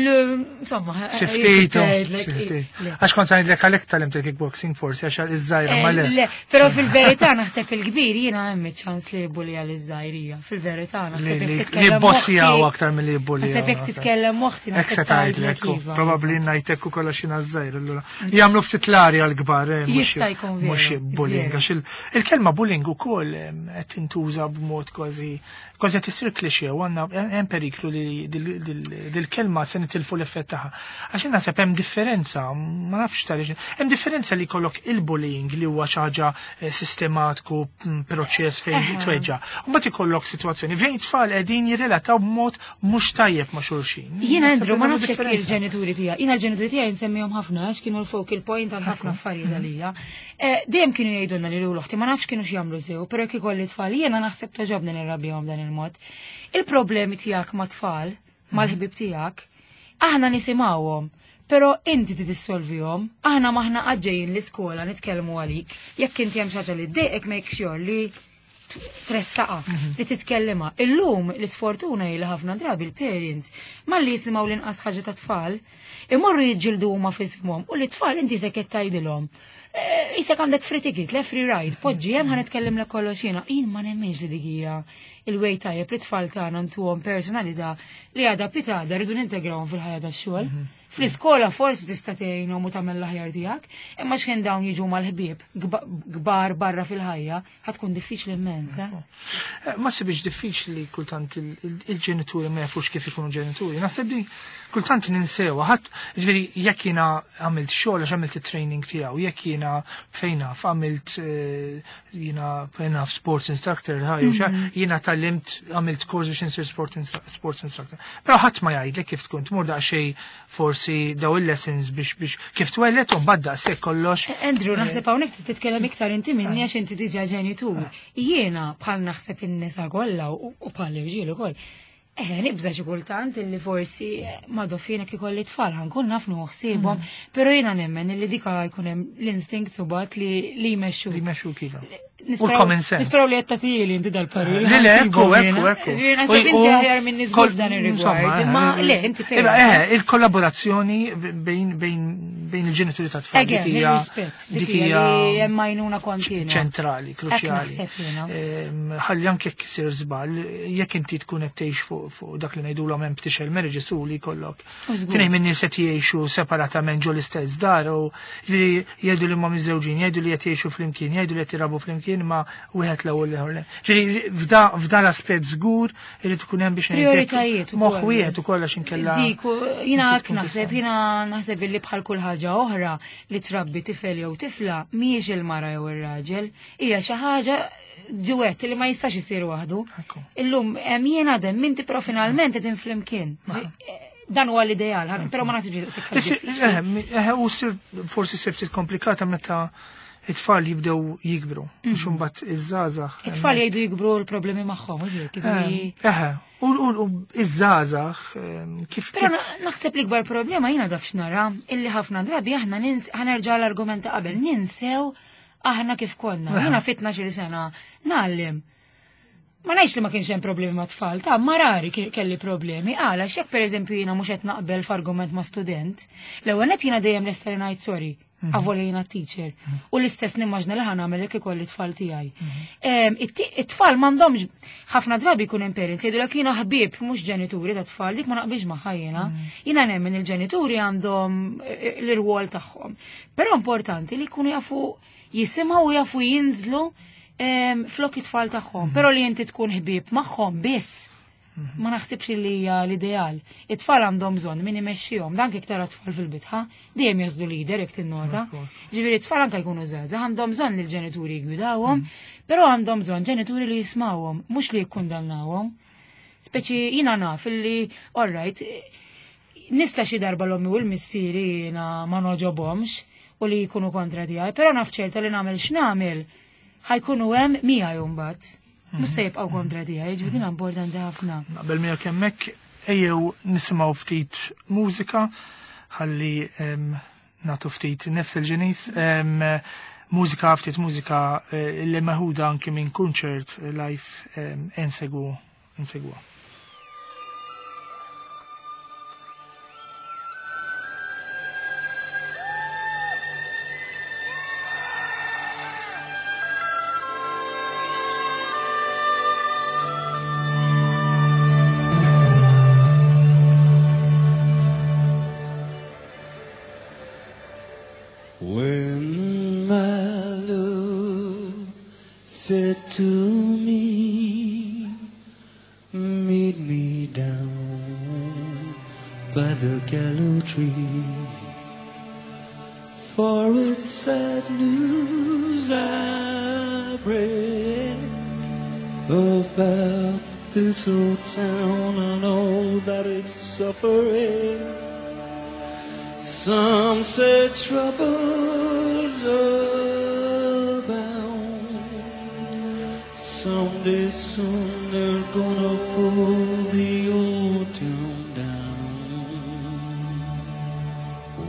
Insomma, Xi ftit, jgħidlek, xi ftit. le. Għax kont ngħidlek għalhekk tgħallimt il-kickboxing forsi għax iż-żgħira ma le. Le, però fil-verità naħseb il-kbir jiena hemm ċans li jibbulija l-żgħirija. Fil-verità naħseb Li jekk li titkellem bossjaw moħħi- aktar milli jibbulija. Naħseb jekk titkellem moħħti Hekk se naħseb tgħidlek tgħidlek, iva. probabbli ngħidlek ukoll għax jiena żgħir allura. Jagħmlu ftit l-arja l-kbar, Jista' jkun veru, mhux bullying veru. għax il-kelma bullying ukoll qed tintuża b'mod kważi kważi qed isir cliché u għandna hemm periklu li dil-kelma se nitilfu l-effett tagħha. Għax naħseb hemm differenza, ma nafx tal hemm differenza li jkollok il-bullying li huwa xi ħaġa sistematiku, proċess fejn tweġġa. U mbagħad ikollok sitwazzjoni fejn tfal qegħdin jirrelataw b'mod mhux tajjeb ma' xulxin. Jiena Naħseb Andrew, ma hemm nafx jekk differenza. il-ġenituri tiegħi. Jiena l-ġenituri tiegħi nsemmihom ħafna għax kienu l-focal point għal ħafna affarijiet għalija. Dejjem kienu jgħidulna li l-oħti ma nafx kienu x'jagħmlu sew, però jekk ikolli tfal jiena naħseb togħġobni nirrabbihom dan il-mod. Il-problemi tiegħek ma' tfal, mal-ħbib tiegħek, aħna nisimgħuhom. Però inti tidissolvihom, aħna maħna għadġejjin l-iskola nitkellmu għalik, jekk inti hemm xi ħaġa li ddejqek make sure li tressaqa li titkellima. Illum l-isfortuna hi li ħafna drabi l-parents malli jisimgħu l-inqas ħaġa ta' tfal, imorru jiġġieldu huma f'isimhom u l-tfal inti se qed tgħidilhom. Isek għandek free ticket, le free ride, poġġi hemm ħa nitkellem kollox jiena. Jien ma nemminx li dik hija il-way tajjeb li tfal tagħna ntuhom personalità li għadha pitada rridu nintegrawhom fil-ħajja tax-xogħol. Fl-iskola forsi tista' tgħinhom u tagħmel l-aħjar tiegħek, imma x'ħin dawn jiġu mal-ħbieb kbar barra fil-ħajja, ħa tkun diffiċli immens. Eh? Ma sibiex diffiċli kultant il-ġenituri ma jafux kif ikunu ġenituri. Naħseb li kultant ninsewa, ħadd ġifieri jekk jiena għamilt xogħol għax għamilt it-training tiegħu, jekk jiena fejn naf għamilt jiena fejn naf sports instructor, jiena tgħallimt għamilt kors biex insir sports instructor. Però ħadd ma jgħidlek kif tkun tmur daqsxejn forsi daw il-lessons biex kif twellet u mbagħad daqshekk kollox. Andrew, naħseb hawnhekk tista' titkellem iktar inti minni għax inti diġà ġenitur. Jiena bħal naħseb in-nisa kollha u bħal irġiel ukoll. Nibża xi kultant illi forsi ma dofjena kif ikolli tfal ħankun naf nieħu ħsiebhom, però jiena nemmen illi dika jkun hemm l-instinct subat li jmexxu. Li jmexxu kif. U l-common sense. Nisperaw li qed tagħtili inti dal-parir. Le, le, ekku, ekku, ekku. Ġifieri naħseb inti aħjar minn nies f'dan ir-rigward. Imma le, inti fejn. Il-kollaborazzjoni bejn il-ġenituri ta' tfal. Again, il-rispett. Dik hija li hemm għajnuna kontinwa. Ċentrali, kruċjali. Ħalli anke jekk isir żball, jekk inti tkun qed tgħix fuq dak li ngħidulhom empty shell marriages u li jkollok. Tnejn minn nies qed jgħixu separatament ġo l-istess dar u ġifieri jgħidu li huma miżżewġin, jgħidu li qed jgħixu flimkien, jgħidu li qed jirabu flimkien, ma wieħed l-ewwel ieħor le. Ġifieri f'da l-aspett żgur irid ikun hemm biex ngħid Prioritajiet ukoll. Moħħ wieħed ukoll għax inkella Dik, jiena inti hekk tkun naħseb, tista'. jiena naħseb illi bħal kull ħaġa oħra li trabbi tifel jew tifla mhijiex il-mara jew ir-raġel, hija xi ħaġa duet li ma jistax isir waħdu. Illum hemm jien għadem minti però finalment qegħdin flimkien. Dan huwa l-ideal, però ma naħsibx li daqshekk ħaġa. U forsi sir ftit komplikata meta it-tfal jibdew jikbru, biex imbagħad iż-żgħażagħ. It-tfal jgħidu jikbru l-problemi magħhom, mhux hekk, jiġifieri U iż-żgħażagħ, kif Però kif naħseb l-ikbar problema jiena daf x'nara, illi ħafna drabi aħna ħanerġa' l-argument ta' qabel, ninsew aħna kif konna. Jiena fit tnax-il sena ngħallem. Ma ngħidx li ma kienx hemm problemi ma' tfal, ta' ma rari kelli problemi. Għala, x'jekk pereżempju jiena mhux qed naqbel f'argument ma' student, l-ewwel nett jiena dejjem lesta li ngħid sorry, avolja jiena teacher. U l-istess nimmaġna li ħa nagħmel jekk ikolli tfal tiegħi. It-tfal m'għandhomx ħafna drabi jkun hemm parents jgħidulek jiena ħbieb mhux ġenituri ta' tfal, dik ma naqbilx magħha jiena. Jiena nemmen il-ġenituri għandhom l-irwol tagħhom. Però importanti li jkunu jafu jisimgħu u jafu jinżlu flok it-tfal tagħhom, però li inti tkun ħbieb magħhom biss. Ma naħsibx li hija l-ideal. It-tfal għandhom bżonn min imexxihom, dan kif tara tfal fil-bitħa, dejjem jażlu leader jekk tinnota. Ġifieri t-tfal anke jkunu żgħażagħ, għandhom bżonn li l-ġenituri jgwidawhom, però għandhom bżonn ġenituri li jismawhom, mhux li jikkundannawhom. Speċi jiena naf illi, all right, nista' xi darba l-ommi u l-missieri jiena ma noġobhomx u li jkunu kontra tiegħi, però naf ċerta li nagħmel x'nagħmel ħajkunu hemm miegħi mbagħad. Mhux se jibqgħu kontra tiegħi, jiġifieri din importanti ħafna. Naqbel miegħek hemmhekk, ejjew nisimgħu ftit mużika ħalli nagħtu ftit nifs il-ġenis. Mużika, ftit mużika li meħuda anki minn kunċert live insegwa. When my love said to me, meet me down by the gallows tree, for it's sad news I bring about this old town and all that it's suffering. Some say troubles abound. Someday soon they're going to pull the old town down.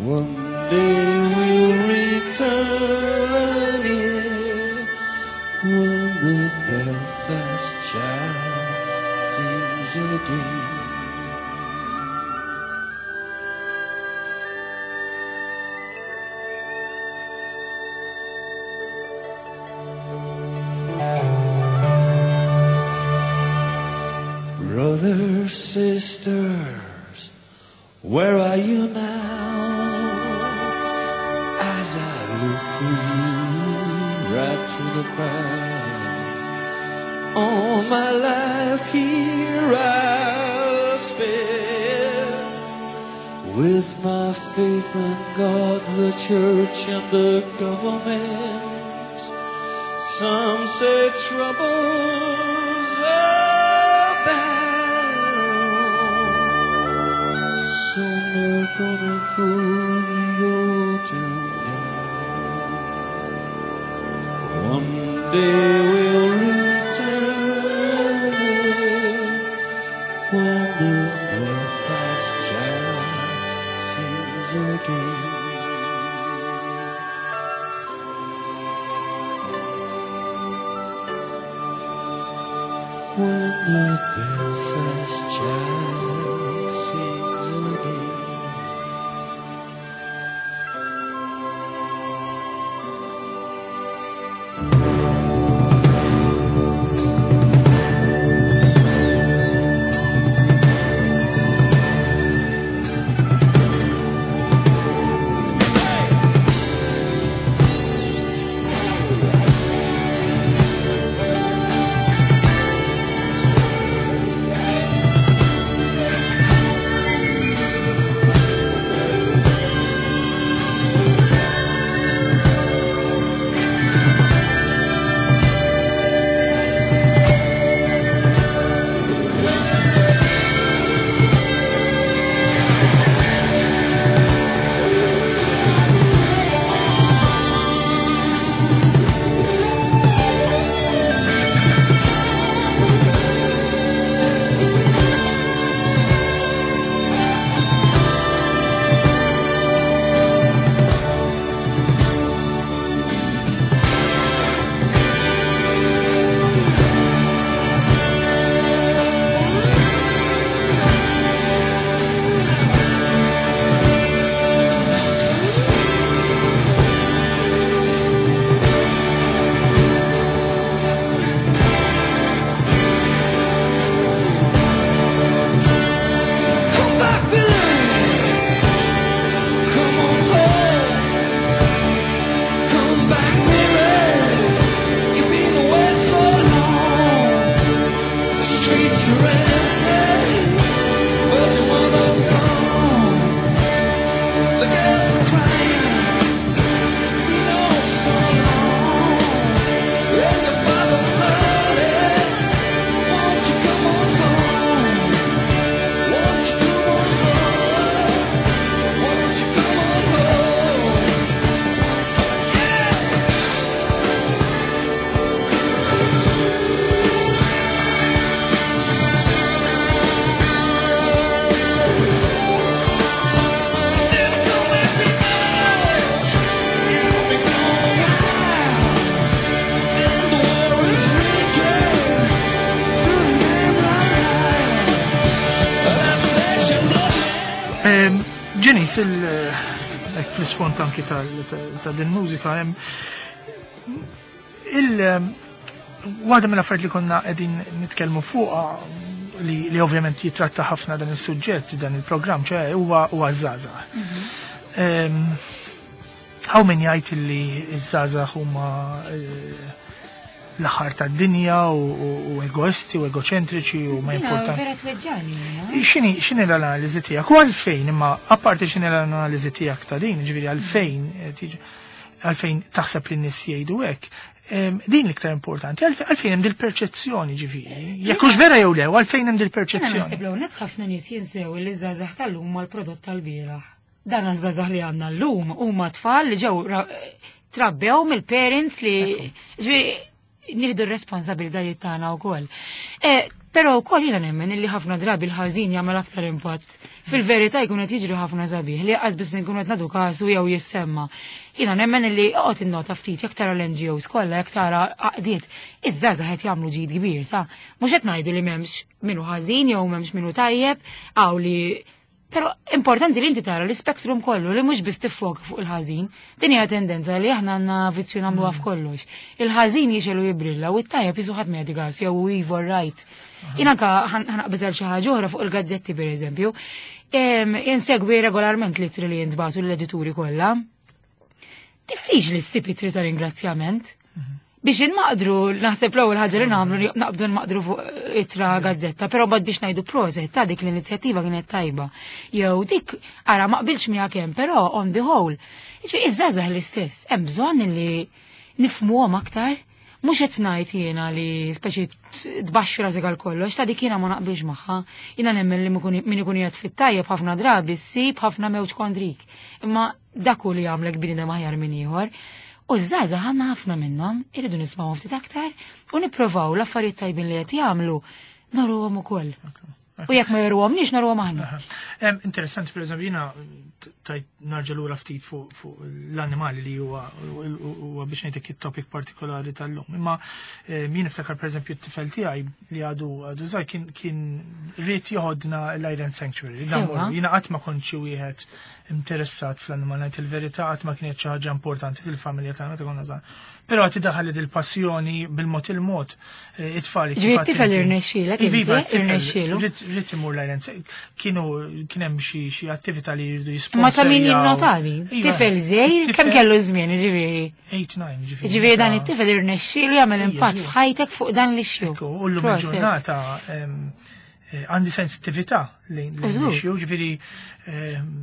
One day we'll return here when the belfry Sisters, where are you now? As I look for you right through the crowd. All my life here I'll spend with my faith in God, the church, and the government. Some say troubles abound. Soon they're gonna pull the old town down. One day we'll return it when the Belfast child sings again. When the Belfast child sings again. Come back, Billy. Come on home. Come back, Billy. You've been away so long. The streets are empty, but your mother's gone. The girls are crying. You know so long. And your father's lonely. Won't you come on home? Won't you come on home? Won't you come on home? Yeah! Said come back, people. You've been gone a while, and the war is raging through the Emerald Isle. That's flesh and blood. Janice, hekk fl-isfond anki ta' din mużika, hemm il waħda mill-affarijiet li konna qegħdin nitkellmu fuqha li ovvjament jitratta ħafna dan is-suġġett, dan il-programm, ċe huwa żgħażagħ. Hawn min jgħid li ż-żgħażagħ huma l-aħħar tad-dinja u egoisti u egoċentriċi u ma Jiena importanti. Vera tweġġani, jiena. X'inhi l-analiżi tiegħek? U għalfejn, imma apparti x'inhi l-analiżi tiegħek ta' din, ġifieri għalfejn għalfejn taħseb li n-nies jgħidu hekk, din l-iktar importanti, għalfejn hemm dil-perċezzjoni ġifieri. Jekk hux vera jew le, għalfejn hemm Jiena dil-perċezzjoni. naħseb l net ħafna nies jinsew li ż-żgħażagħ tal-lum huma l-prodott tal-bieraħ. Dan iż-żgħażagħ li għandna llum huma tfal li ġew trabbew mill-parents li ġifieri nieħdu r-responsabilitajiet tagħna wkoll. Però wkoll jiena nemmen illi ħafna drabi l-ħażin jagħmel aktar impatt. Fil-verità jkun qed jiġri ħafna sabiħ li qas biss nkunu qed nagħtu kasu jew jissemma. Jiena nemmen illi oqgħod innota ftit jekk tara l-NGOs kollha, jekk tara għaqdiet, iż-żgħażagħ qed jagħmlu ġid kbir ta' mhux qed ngħidu li m'hemmx minnu ħażin jew m'hemmx minnu tajjeb, għaw li Pero importanti li inti tara l-spektrum kollu li mhux biss tiffoka fuq il-ħażin. Din hija tendenza li aħna għandna vizzju nagħmluha f'kollox. Il-ħażin jixelu jibrilla u t-tajjeb jisu ħadd ma gas jew evil right. Jien anka ħa naqbeż għal xi ħaġa oħra fuq il-gazzetti pereżempju. Insegwi regolarment l-ittri li jintbagħtu l-edituri kollha. Diffiċli ssib ittri ta' ringrazzjament. Biex inmaqdru, naħseb l-ewwel ħaġa li nagħmlu li naqbdu nmaqdru fuq ittra gazzetta, però mbagħad biex ngħidu proset ta' dik l-inizjattiva kienet tajba. Jew dik ara ma qbilx miegħek hemm, però on the whole. Jiġifieri iż-żgħażagħ l-istess, hemm bżonn li nifhmuhom aktar. Mhux qed ngħid jiena li speċi tbaxxi rasek għal kollox, ta' dik jiena ma naqbilx magħha. Jiena nemmen li min ikun qiegħed fit-tajjeb ħafna drabi ssib ħafna mewġ kontrik. Imma dak hu li jagħmlek bniedem aħjar minn ieħor. U ż-żgħażagħ għandna ħafna minnhom, irridu nismgħu ftit aktar u nippruvaw l-affarijiet tajbin li qed jagħmlu noruhom ukoll. U jekk ma joruhomniex noruhom aħna. Interessanti, per eżempju, jiena tajt narġa' lura ftit fuq l-annimali li huwa biex ngħidlek it-topic partikolari tal-lum. Imma jien niftakar per eżempju t-tifel tiegħi li għadu żgħir kien ried joħodna l-Island Sanctuary. Jiena qatt ma kont xi wieħed interessat fl-annimal, ngħid il-verità qatt ma kienet xi ħaġa importanti fil-familja tagħna ta' konna żgħar. Però għad daħal il-passjoni bil-mod il-mod it-tfal. Ġifieri t-tifel irnexxielek, Iva, irnexxielu. Ried imur l-Island Sanctuary. Kienu kien hemm xi attività li jridu jisponsorjaw. Ma ta' min jinnotali. Tifel żgħir kemm kellu żmien, ġifieri. 8-9, ġifieri. Ġifieri dan it-tifel irnexxielu jagħmel impatt f'ħajtek fuq dan l-issue. U llum il-ġurnata għandi sensittività lejn l-issue, ġifieri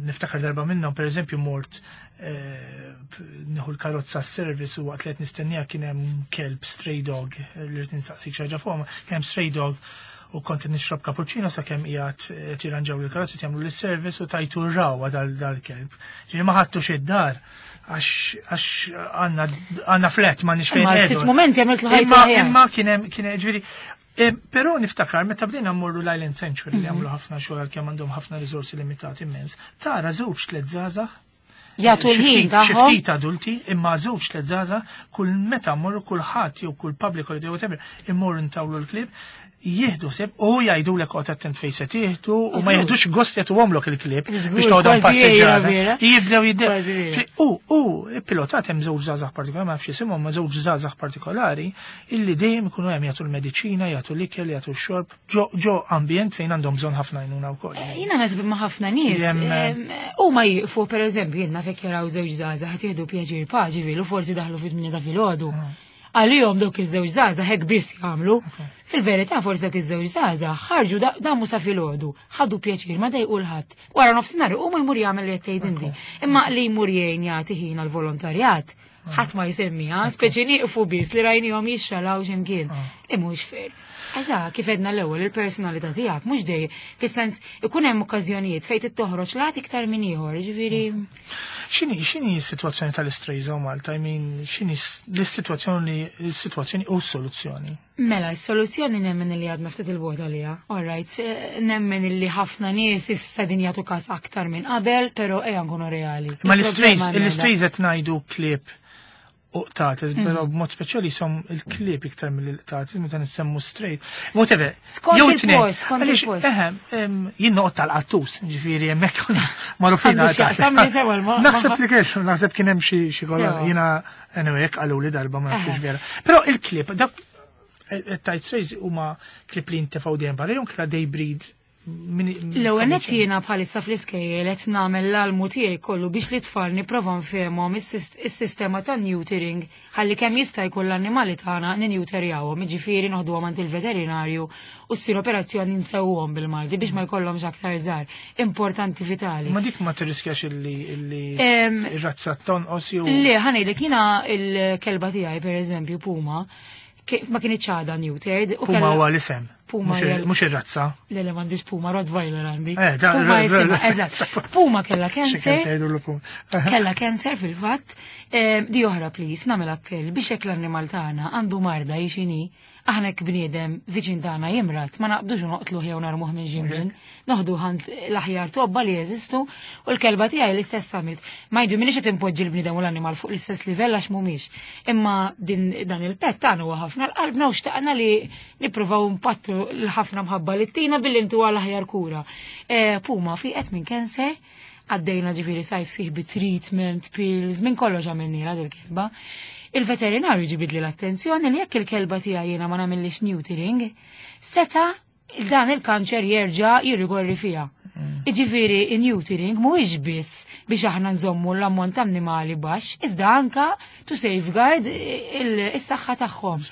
niftakar darba minnhom, per eżempju, mort nieħu l-karozza s-service u waqt li qed nistennija kien hemm kelb stray dog li rrid insaqsik xi ħaġa fuqhom, kien hemm stray dog u kont nixrob cappuccino sakemm qiegħed tirranġaw il-karozza jagħmlu l-service u tajtu r-rawa dal-kelb. Ġifieri ma ħadtux id-dar għax għandna flat ma nix fejn. Ma ftit moment jagħmel ħajtu. Imma kien hemm ġifieri. Però niftakar meta bdejna mmorru l-Island Sanctuary li għamlu ħafna xogħol għalkemm għandhom ħafna riżorsi limitati immens, tara żewġ tliet żgħażagħ jagħtu l-ħin tagħhom. Xi ftit adulti, imma żewġ tliet żgħażagħ kull meta mmorru kulħadd jew kull public holiday whatever immorru ntawlu l-klieb jieħdu seb u jgħidu l qod attent fejn se tieħdu u ma jieħdux gost jagħtuhomlok il-klieb biex toħodhom passiġġata. Jibdew jibdew. U pilotat hemm żewġ żgħażagħ partikolari, ma nafx isimhom, ma żewġ żgħażagħ partikolari illi dejjem ikunu hemm jagħtu l-mediċina, jagħtu l-ikel, jagħtu x-xorb, ġo ambjent fejn għandhom bżonn ħafna għajnuna wkoll. Jiena nasib ma' ħafna nies. U ma jieqfu pereżempju jiena fek jaraw żewġ żgħażagħ qed jieħdu pjaċir paċi u forsi daħlu fit-8 ta' filgħodu. Għalihom dawk iż-żewġ żgħażagħ hekk biss jagħmlu. Fil-verità forsi dawk iż-żewġ żgħażagħ ħarġu damu sa filgħodu, ħadu pjaċir ma dejqu l-ħadd. Wara nofsinhar huma jmur jagħmel li qed tgħid inti. Imma li jmur jgħin jagħti ħin għall-volontarjat, ħadd ma jsemmiha, speċi nieqfu biss li rajnihom jixxalaw x'imkien. Li mhux fair. Għaxa, kif edna l-ewwel il-personalità tiegħek mhux dej, fis-sens ikun hemm okkażjonijiet fejn tittoħroġ lat iktar minn ieħor, ġifieri. X'inhi s-sitwazzjoni tal-istrays hawn Malta? I mean, x'inhi l-sitwazzjoni l-sitwazzjoni u s-soluzzjoni? Mela, s-soluzzjoni nemmen li għadna ftit il-bogħod għaliha. All right, nemmen li ħafna nies issa din jagħtu każ aktar minn qabel, però ejja nkunu reali. Ma l-istrays qed ngħidu klieb u qtates, però b'mod speċjali som il-klieb iktar mill-qtates, meta nissemmu stray. Whatever. Skont il-post, skont il-post. Eħe, jien noqgħod tal-qattus, ġifieri hemmhekk magħrufin. Naħseb li kellu, naħseb kien hemm xi kollha jiena anyway hekk qaluli darba ma nafx vera. Però il-klieb dak tajt strays huma klieb li jintefgħu dejjem barra jew kla they breed. L-ewwel nett jiena bħalissa fl-iskejjel qed nagħmel l-almu tiegħi kollu biex li tfal nipprova nfehmhom is-sistema ta' neutering ħalli kemm jista' jkun l-annimali tagħna ninewterjawhom, jiġifieri noħduhom għand il-veterinarju u ssir operazzjoni nsewwhom bil-Malti biex ma jkollhomx aktar żgħar. Importanti vitali. Ma dik ma tirriskjax illi ir-razza tonqos jew. Le, ħa ngħidlek jiena il-kelba tiegħi pereżempju Puma ma kienx għadha neutered. Puma huwa l-isem. Puma mhux ir-razza. Le, le, m'għandix Puma, Rottweiler għandi. Puma jisimha, eżatt. Puma kellha cancer. Kellha cancer fil-fatt. Di oħra please, nagħmel appell biex hekk l-annimal tagħna għandu marda jixini, aħna hekk bniedem viċin tagħna jimrat, ma naqbdux u noqtluh jew narmuh minn x'imkien. Noħdu ħand l-aħjar tobba li jeżistu u l-kelba tiegħi l-istess għamilt. Ma jdu minix qed impoġġi l-bniedem u l-annimal fuq l-istess livell għax mhumiex. Imma din dan il-pet tagħna huwa ħafna l-qalbna u xtaqna li nippruvaw impattu nirrikonoxxu l-ħafna mħabba li ttina billi ntuha l-aħjar kura. Puma fiqet minn cancer, għaddejna ġifieri sajf sħiħ bi treatment, pills, minn kollox għamilnielha dil-kelba. Il-veterinarju ġibidli l-attenzjoni li jekk il-kelba tiegħi jiena ma nagħmillix neutering, seta' dan il-kanċer jerġa' jirrikorri fiha. Iġifieri in-neutering mhuwiex biss biex aħna nżommu l-ammont ta' annimali baxx, iżda anka to safeguard is-saħħa tagħhom.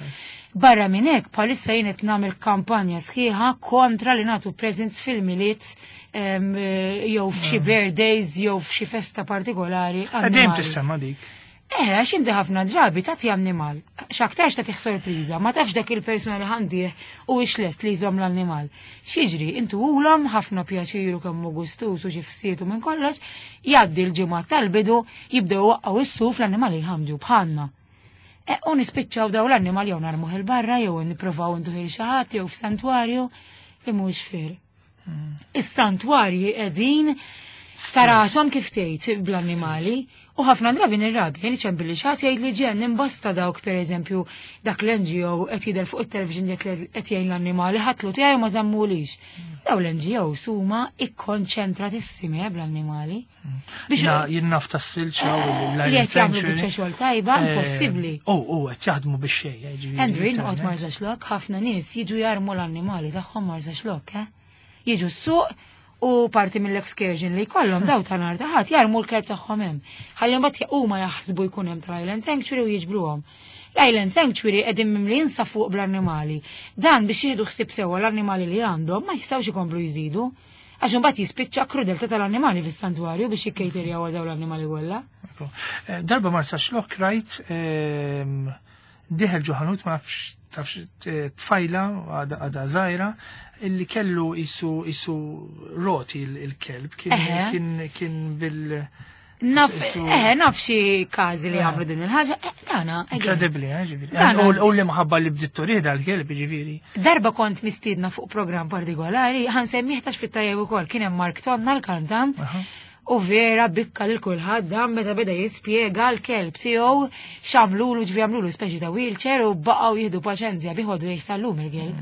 Barra minn hekk bħalissa jien qed nagħmel kampanja sħiħa kontra li nagħtu presents fil-Milied jew f'xi birthdays jew f'xi festa partikolari. Dejjem tissemma dik. Għax inti ħafna drabi tagħti annimal. X'aktarx tagħtih sorpriża, ma tafx dak il-persuna li ħandih u lest li jżomm l-annimal. X'jiġri, intu ulhom ħafna pjaċiru kemm hu gustus u xi fsietu minn kollox, jgħaddi l-ġimgħa tal-bidu, jibdew waqqgħu is-suf l-annimali jħamġu bħalna. U nispiċċaw daw l-annimal jew narmuh il-barra jew nippruvaw ntuh il xi ħadd jew f'santwarju li mhux fair. Is-santwarji qegħdin sarasom kif tgħid bl-annimali. U ħafna drabi nirrabi, jien iċempilli xi ħadd jgħid li ġen imbasta dawk pereżempju dak l-NGO qed jidher fuq it-television qed jgħin l-annimali ħatlu tiegħi ma żammulix. Daw l-NGO huma ikkonċentratissimi bl-annimali. Biex jien naf tas-silġa u l-Island li qed jagħmlu biċċa xogħol tajba, impossibbli. U qed jaħdmu biex xejn, ġifieri. Andrew, jien noqgħod Marsaxlokk, ħafna nies jiġu jarmu l-annimali tagħhom Marsaxlokk, eh? Jiġu s-suq u parti mill-excursion li jkollhom daw ta' nhar ta' ħadd jarmu l-kelb tagħhom hemm. Ħalli mbagħad huma jaħsbu jkun hemm tal-Island Sanctuary u jiġbruhom. L-Island Sanctuary qegħdin mimlin sa fuq bl-annimali. Dan biex jieħdu ħsieb sewwa l-annimali li għandhom ma jistgħux ikomplu jżidu. Għax imbagħad jispiċċa krudeltà tal-annimali fis-santwarju biex jikkejterjaw għal dawn l-annimali kollha. Darba Marsaxlokk rajt diħel ġo ħanut ma nafx tafx tfajla għadha żgħira illi kellu isu roti il-kelb kien bil Naf, naf xi każi li għamlu din il-ħaġa, dana, again. Incredibly, ġifieri. U li mħabba li bdiet turih dal-kelb, ġifieri. Darba kont mistiedna fuq programm partikolari, ħa nsemmih tax fit-tajjeb ukoll, kien hemm Mark Tonna l-kantant, u vera bikka lil kulħadd dan meta beda jispjega l-kelb tiegħu x'għamlulu, ġifieri għamlulu speċi ta' wheelchair u baqgħu jieħdu paċenzja biħodu jgħix sal-lum il-kelb.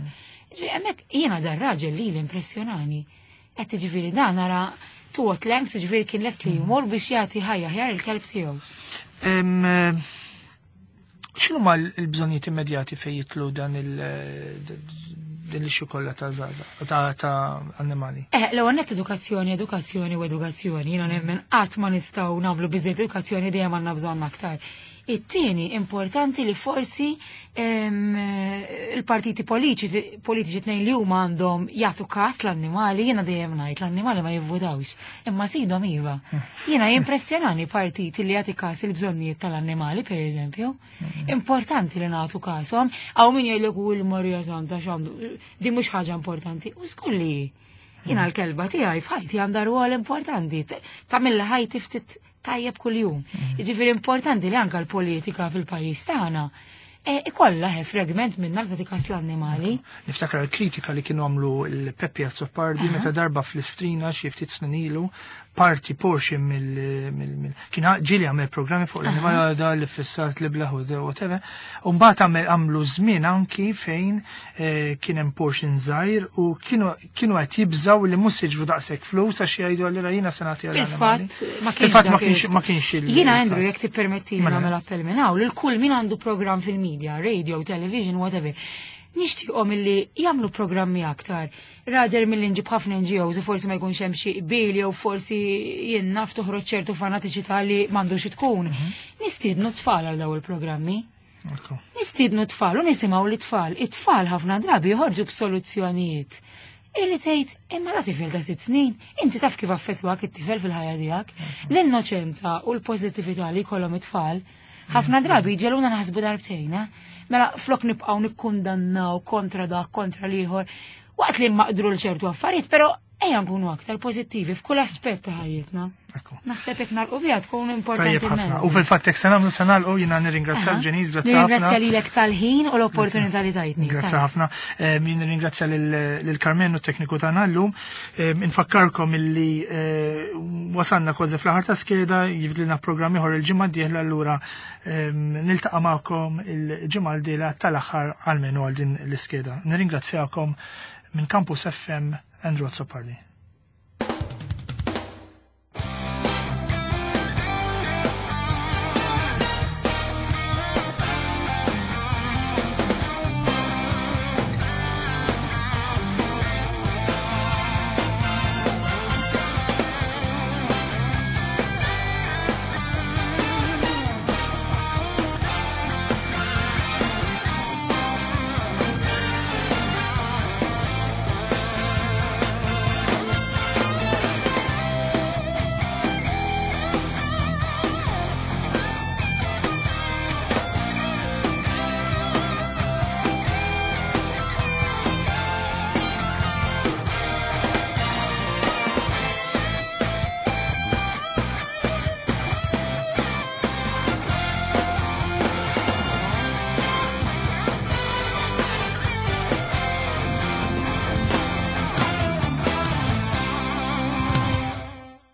Ġifieri hemmhekk jiena dar raġel li l-impressjonani. Qed ġifieri dan nara to what lengths, ġifieri kien lest li jmur biex jagħti ħajja ħjar il-kelb tiegħu. X'inhu ma l-bżonnijiet immedjati fejn jitlu dan din l-issue kollha ta' żgħażagħ, ta' annimali? L-ewwel nett edukazzjoni, edukazzjoni u edukazzjoni. Jiena nemmen qatt ma nistgħu nagħmlu biżejjed edukazzjoni, dejjem għandna bżonn aktar. It-tieni importanti li forsi il-partiti politiċi tnejn li huma għandhom jagħtu każ l-annimali, jiena dejjem ngħid l-annimali ma jivvutawx, imma sidhom iva. Jiena jimpressjonani partiti li jagħti każ il-bżonnijiet tal-annimali, per eżempju. Importanti li nagħtu każhom, hawn min jgħidlek u l-Marija Santa x'għandu, din mhux ħaġa importanti, u żgur li jiena l-kelba tiegħi f'ħajti għandha rwol importanti, tagħmilha ħajti ftit tajjeb kuljum. Jiġifieri importanti li anke l-politika fil-pajjiż tagħna ikollha fragment minn li tagħti l-annimali. Niftakar l-kritika li kienu għamlu l-Peppi Azzopardi meta darba fl-Istrina xi ftit snin ilu parti portion mill kien ġieli għamel programmi fuq l-annimali da li fissat li blaħu whatever. U mbagħad għamlu żmien anki fejn kien hemm portion żgħir u kienu qed jibżaw li mhux jiġru daqshekk flus għax jgħidu allura jiena se nagħti għall annimali. Fil-fatt ma kienx il- Jiena Andrew jekk tippermetti nagħmel appell minn hawn lil kull min għandu programm fil-media, radio, television, whatever. Nixtieqhom illi jagħmlu programmi aktar. Rather milli nġib ħafna NGOs u forsi ma jkunx hemm xi qbil jew forsi jien naf toħroġ ċertu fanatiċità li m'għandux tkun. Nistiednu tfal għal dawn il-programmi. Nistiednu tfal u nisimgħu l-tfal. It-tfal ħafna drabi joħorġu b'soluzzjonijiet. Illi tgħid imma da tifel ta' 6 snin, inti taf kif affettwak it-tifel fil-ħajja tiegħek. L-innoċenza u l-pożittività li jkollhom it-tfal ħafna drabi ġeluna naħsbu darbtejn, eh? Mela flok nibqgħu nikkundannaw kontra dak, kontra l-ieħor, waqt li maqdru l ċertu affarijiet, però Ejja nkunu aktar pożittivi f'kull aspett ta' ħajjitna. Naħseb jekk nagħlqu biha tkun importanti. Tajjeb ħafna. U fil-fatt jekk se nagħmlu se nagħlqu jiena nirringrazzja l-Ġeniż, grazzi ħafna. Nirringrazzja lilek tal-ħin u l-opportunità li tajtni. Grazzi ħafna. Jien nirringrazzja lil Carmen u t-tekniku tagħna llum. Infakkarkom illi eh, wasalna kważi fl-aħħar ta' skeda, jifdilna programm ieħor il-ġimgħa d-dieħla allura niltaqa' magħkom il-ġimgħa l-dieħla tal-aħħar għalmenu għal din l-iskeda. Nirringrazzjakom minn Campus FM Andrew Azzopardi.